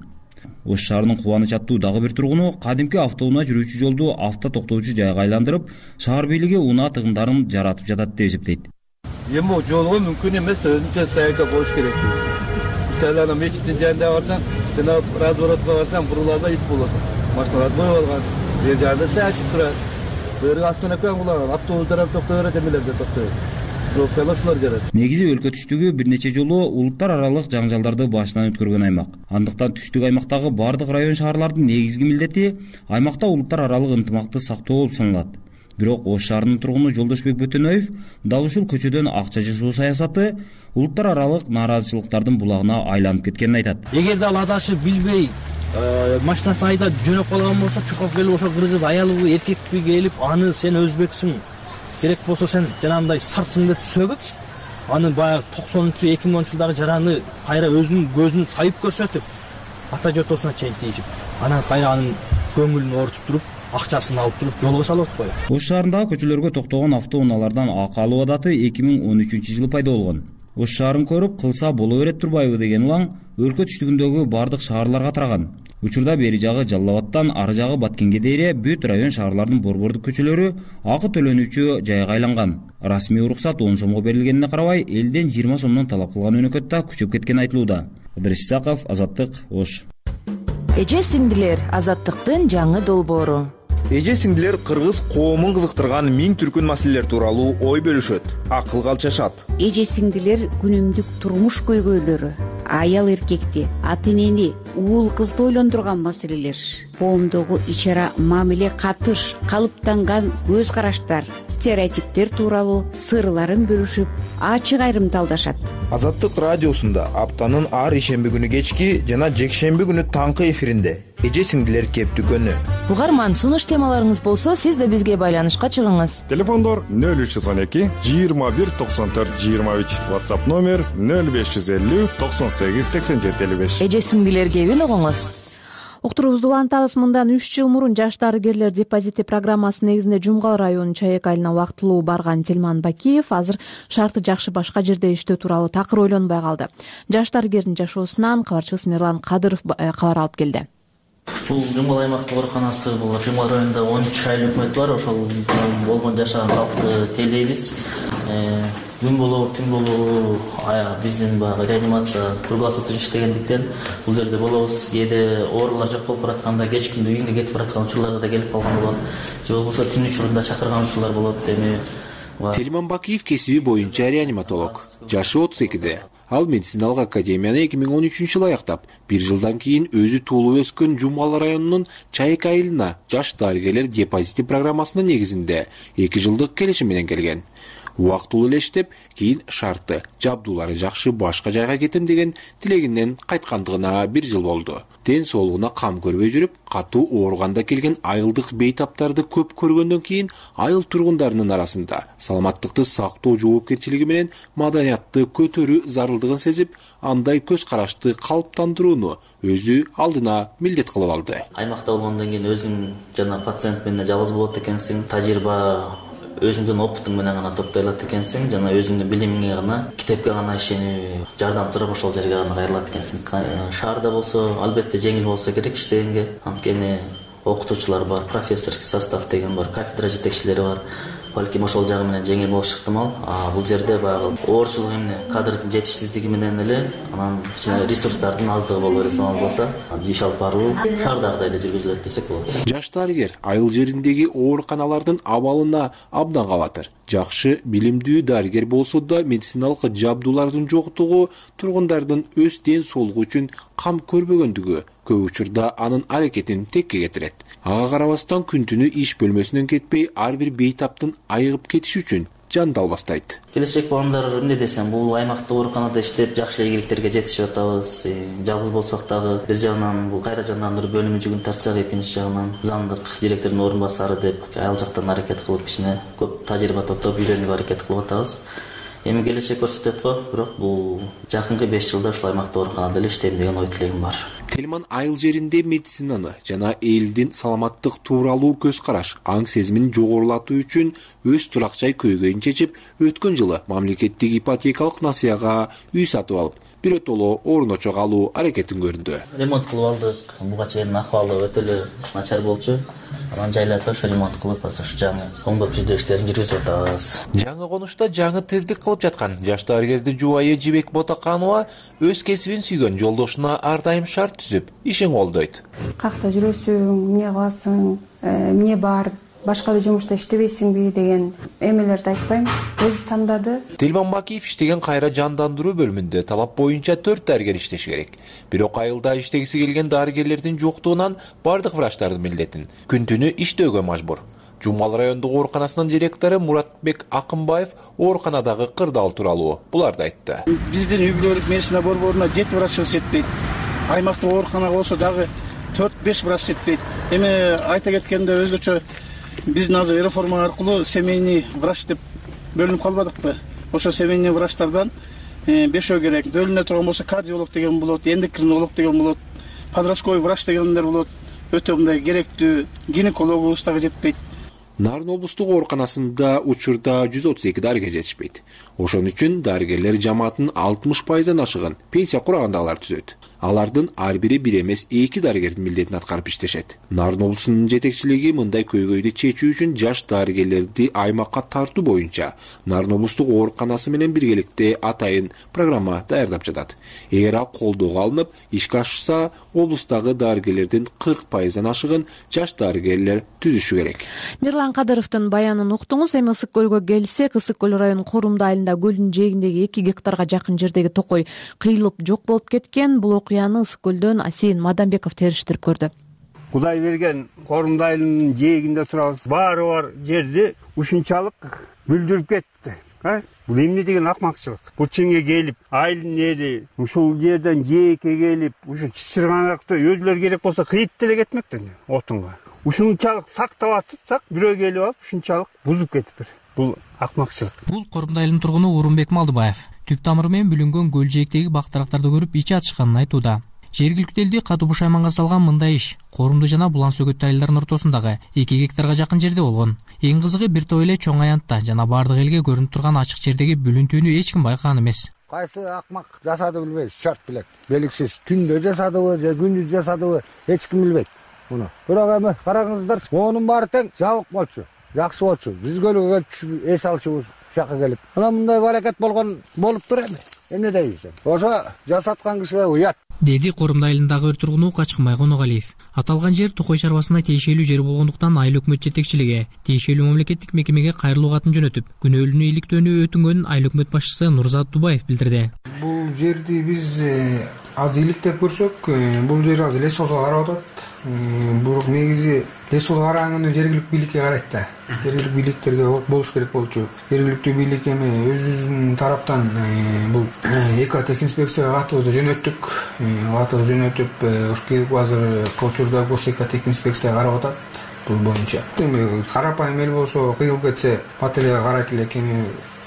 S6: Ош шаарынын Кубаныч аттуу дагы бир тургуну кадимки автоунаа жүрүүчү жолду авто токтоочу жайга айландырып, шаар бийлиги унаа тыгындарын жаратып жатат деп эсептейт.
S10: Эми жолго мүмкүн эмес да өзүнчө стоянка коюш керек. Мисалы ана мечиттин жанында барсаң, жана разворотко барсаң, буруларда ит болосуң. Машиналар коюп алган, бер жагында саашып турат. Бөөргө остановка кылган, автобустар токтой берет, эмелерде токтой берет.
S6: Негизи өлкө түштүгү бир нече жолу улуттар аралык жаңжалдарды башынан өткөргөн аймак. Андыктан түштүк аймактагы бардык район шаарлардын негизги милдети аймакта улуттар аралык ынтымакты сактоо болуп саналат. Бирок Ош шаарынын тургуну Жолдошбек Бөтөнөев дал ушул көчөдөн акча жасоо саясаты улуттар аралык нааразычылыктардын булагына айланып кеткенин айтат.
S11: Эгерде ал адашып билбей машинасын айдап жөнөп калган болсо, чуркап келип ошо кыргыз аялыбы, эркекпи келип, аны сен өзбексиң, керек болсо сен жанагындай сартсың деп сөгүп, аны баягы 90-2010 жылдары жараны кайра өзүнүн көзүн сайып көрсөтүп, ата жотосуна чейин тийишип, анан кайра анын көңүлүн оорутуп туруп, акчасын алып туруп жолго салып атпайбы?
S6: Ош шаарындагы көчөлөргө токтогон автоунаалардан акы алуу адаты 2013-жылы пайда болгон. Ош шаарын көрүп кылса боло берет турбайбы деген улаң өлкө түштүгүндөгү бардык шаарларга тараган. Учурда бери жагы Жалал Абадтан ары жагы Баткенге дейре бүт район шаарлардын борбордук көчөлөрү акы төлөнүүчү жайга айланган. Расмий уруксат 10 сомго берилгенине карабай, элден 20 сомдон талап кылган өнөкөт да күчөп кеткени айтылууда. Ыдырыс Исаков, Азаттык, Ош.
S24: Эже сиңдилер, Азаттыктын жаңы долбоору.
S25: Эже сиңдилер кыргыз коомун кызыктырган миң түркүн маселелер тууралуу ой бөлүшөт, акылга алчашат.
S26: Эже сиңдилер күнүмдүк турмуш көйгөйлөрү, аял эркекти, ата энени, уул кызды ойлондурган маселелер, коомдогу ич ара мамиле катыш, калыптанган көз караштар, стереотиптер тууралуу сырларын бөлүшүп, ачык айрымдалдашат.
S25: Азаттык радиосунда аптанын ар ишемби күнү кечки жана жекшемби күнү таңкы эфиринде эже сиңдилер кептүкөнү.
S24: Угарман, сунуш темаларыңыз болсо, сиз да бизге байланышка чыгыңыз.
S27: Телефондор 0312 21 94 23, WhatsApp номер 0550 98 87 55.
S24: Эже сиңдилер кебин угуңуз.
S1: Уктуруубузду улантабыз. Мындан 3 жыл мурун жаш дарыгерлер депозити программасы негизинде Жумгал районунун Чаек айылына убактылуу барган Тилман Бакиев азыр шарты жакшы башка жерде иштөө тууралуу такыр ойлонбой калды. Жаш дарыгердин жашоосунан кабарчыбыз Мирлан Кадыров кабар алып келди.
S28: Бул Жумгал аймактык ооруканасы, бул Жумгал районунда 13 айыл өкмөт бар. Ошол болгон жашаган калкты тейлейбиз. Күн болобу, түн болобу, биздин баягы реанимация круглосуточно иштегендиктен бул жерде болобуз. Кээде оорулар жок болуп баратканда кеч күндө үйүнгө кетип бараткан учурларда да келип калган болот. Же болбосо түн учурунда чакырган учурлар болот. Эми
S29: Тилман Бакиев кесиби боюнча реаниматолог. Жашы 32-де. Ал медициналык академияны 2013-жылы аяктап, 1 жылдан кийин өзү туулуп өскөн Жумгал районунун Чайек айылына жаш дарыгерлер депозити программасынын негизинде 2 жылдык келишим менен келген. Убактылуу эле иштеп, кийин шарты, жабдуулары жакшы башка жайга кетем деген тилегинен кайткандыгына 1 жыл болду. Ден соолугуна кам көрбөй жүрүп, катуу ооруганда келген айылдык бейтаптарды көп көргөндөн кийин айыл тургундарынын арасында саламаттыкты сактоо жоопкерчилиги менен маданиятты көтөрүү зарылдыгын сезип, андай көз карашты калыптандырууну өзү алдына милдет кылып алды.
S28: Аймакта болгондон кийин өзүң жана пациент менен жалгыз болот экенсиң, тажрыйба өзүңдүн опытың менен гана топтой алат экенсиң, жана өзүңдүн билимиңе гана, китепке гана ишенип, жардам сурап ошол жерге гана кайрылат экенсиң. Шаарда болсо, албетте жеңил болсо керек иштегенге. Анткени окутуучулар бар, профессорский состав деген бар, кафедра жетекчилери бар. Балким ошол жагы менен жеңил болуш ыктымал. Бул жерде баягы оорчулук эмне, кадрдын жетишсиздиги менен эле, анан ресурстардын аздыгы болуп эле саналбаса, иш алып баруу шаардагыдай эле жүргүзүлөт десек болот.
S29: Жаш дарыгер айыл жериндеги ооруканалардын абалына абдан кабатыр. Жакшы билимдүү дарыгер болсо да медициналык жабдуулардын жоктугу тургундардын өз ден соолугу үчүн кам көрбөгөндүгү көп учурда анын аракетин текке кетирет. Ага карабастан күн-түнү иш бөлмөсүнөн кетпей ар бир бейтаптын айыгып кетиши үчүн жанды албастайт.
S28: Келечек балдар эмне десем, бул аймактык ооруканада иштеп жакшы ийгиликтерге жетишип атабыз. Жалгыз болсок дагы бир жагынан бул кайра жандандыруу бөлүмү жүгүн тартсак, экинчи жагынан замдык директордун орун басары деп айыл жактан аракет кылып кичине көп тажрыйба топтоп үйрөнүп аракет кылып атабыз. Эми келечек көрсөтөт го, бирок бул жакынкы 5 жылда ушул аймактык ооруканада эле иштейм деген ой тилегим бар.
S29: Телман айыл жеринде медицинаны жана элдин саламаттык тууралуу көз караш, аң сезимин жогорулатуу үчүн өз турак-жай көйгөйүн чечип, өткөн жылы мамлекеттик ипотекалык насыяга үй сатып алып, биротоло орун очок алуу аракетин көрдү.
S28: Ремонт кылып алдык. Буга чейин акыбалы өтө эле начар болчу. Анан жайлатып ошо ремонт кылып, ошо жаңы оңдоп түзөө иштерин жүргүзүп атабыз.
S29: Жаңы конушта жаңы тирдик кылып жаткан жаш дарыгердин жубайы Жибек Ботаканова өз кесибин сүйгөн жолдошуна ар дайым шарт түзүп, ишин колдойт.
S2: Какта жүрөсүң, эмне кыласың, эмне бар, башка эле жумушта иштебейсиңби деген эмелерди айтпайм, өзү тандады.
S29: Телман Бакиев иштеген кайра жандандыруу бөлүмүндө талап боюнча 4 дарыгер иштеши керек. Бирок айылда иштегиси келген дарыгерлердин жоктугунан бардык врачтардын милдетин күн-түнү иштөөгө мажбур. Жумал райондук ооруканасынын директору Муратбек Акымбаев ооруканадагы кырдаал тууралуу буларды айтты.
S3: Биздин үй-бүлөлүк медицина борборуна 7 врачыбыз жетпейт. Аймактык ооруканага болсо дагы 4-5 врач жетпейт. Эми айта кеткенде өзгөчө биздин азыр реформа аркылуу семейный врач деп бөлүнүп калбадыкпы? Ошо семейный врачтардан 5 керек. Бөлүнө турган болсо кардиолог деген болот, эндокринолог деген болот, подростковый врач дегендер болот. Өтө мындай керектүү гинекологубуз дагы жетпейт.
S29: Нарын облустук ооруканасында учурда 132 дарыгер жетишпейт. Ошон үчүн дарыгерлер жамааттын 60%дан ашыгын пенсия курагандагылар түзөт. Алардын ар бири бир эмес 2 дарыгердин милдетин аткарып иштешет. Нарын облусунун жетекчилиги мындай көйгөйдү чечүү үчүн жаш дарыгерлерди аймакка тартуу боюнча Нарын облустук ооруканасы менен биргеликте атайын программа даярдап жатат. Эгер ал колдоого алынып, ишке ашса, облустагы дарыгерлердин 40%дан ашыгын жаш дарыгерлер түзүшү керек.
S1: Мирлан Кадыровдун баянын уктуңуз. Эми Ысык көлгө келсек, Ысык көл районунун Корумду айылында көлдүн жээгиндеги 2 гектарга жакын жердеги токой кыйылып жок болуп кеткен. Бул окуяны Ысык көлдөн Асейин Мадамбеков териштирип көрдү.
S4: Кудай берген Корумду айылынын жээгинде турабыз. Баары бар жерди ушунчалык бүлдүрүп кетти. Бул эмне деген акмакчылык? Бул чиңе келип, айылдын эли ушул жерден жээкке келип, ушу чычырганакты өзүлөр керек болсо кыйып деле кетмекти отунга. Ушунчалык сактап атсак, бирөө келип алып, ушунчалык бузуп кетиптир. Бул акмакчылык.
S5: Бул Корумду айылынын тургуну Урунбек Малдыбаев түп тамыры менен бүлүнгөн көл жээктеги бактырактарды көрүп ичи ачышканын айтууда. Жергиликтүү элди катуу бушайманга салган мындай иш Корумду жана Булан Сөгөттү айылдарынын ортосундагы 2 гектарга жакын жерде болгон. Эң кызыгы бир топ эле чоң аянтта жана бардык элге көрүнүп турган ачык жердеги бүлүнтүүнү эч ким байкаган эмес.
S8: Кайсы акмак жасады билбейбиз, чорт билет. Белгисиз түндө жасадыбы же күндүз жасадыбы эч ким билбейт муну. Бирок эми караңыздар, онун баары тең жабык болчу, жакшы болчу. Биз көлгө келип эс алчубуз жакка келип. Анан мындай баракет болуп тур эми. Эмне дейсиң? Ошо жасаткан кишиге уят.
S5: Деди Корумду айылындагы өр тургуну Качкынбай Коногалиев. Аталган жер Токой чарбасына тиешелүү жер болгондуктан айыл өкмөт жетекчилиги тиешелүү мамлекеттик мекемеге кайрылуу катын жөнөтүп, күнөөлүүнү иликтөөнү өтүнгөнүн айыл өкмөт башчысы Нурзат Дубаев билдирди.
S12: Бул жерди биз аз иликтеп көрсөк, бул жер азыр лес созго карап атат. Бирок негизи лес созго караганда жергиликтүү бийликке карайт да. Жергиликтүү бийликтерге болуш керек болчу. Жергиликтүү бийлик эми өзүбүздүн тараптан бул экотехинспекцияга катыбызды жөнөттүк. Катыбызды жөнөтүп, азыр Кочурда госэкотехинспекцияга карап атат бул боюнча. Эми карапайым эл болсо кыйылып кетсе, патрульга карайт элек, эми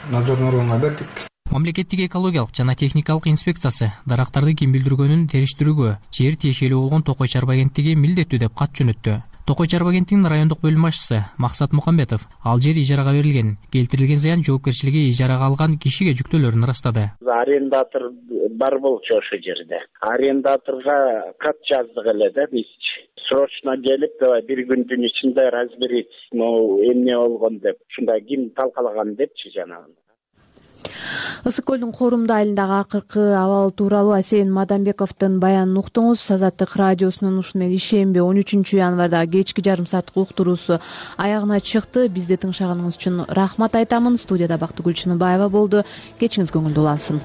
S12: надзорный органга бердик.
S5: Мамлекеттик экологиялык жана техникалык инспекциясы дарактарды ким билдиргөнүн териштирүүгө жер тиешелүү болгон Токой чарба агенттиги милдеттүү деп кат жөнөттү. Токой Чарба кентинин райондук бөлүм башчысы Максат Мукамбетов ал жер ижарага берилген, келтирилген зыян жоопкерчилиги ижарага алган кишиге жүктөөлөрүн ырастады.
S13: Арендатор бар болчу ошол жерде. Арендаторго кат жаздык эле да биз. Срочно келип, бир күндүн ичинде разберить, эмне болгон деп, ушундай ким талкалаган депчи жанагы.
S1: Ысык көлдүн Корумду айылындагы акыркы абал тууралуу Асен Мадамбековдун баянын уктуңуз. Азаттык радиосунун ушуну менен ишемби 13 январда кечки жарым сааттык уктуруусу аягына чыкты. Бизди тыңшаганыңыз үчүн рахмат айтамын. Студияда Бактыгүл Чыныбаева болду. Кечиңиз көңүлдүү улансын.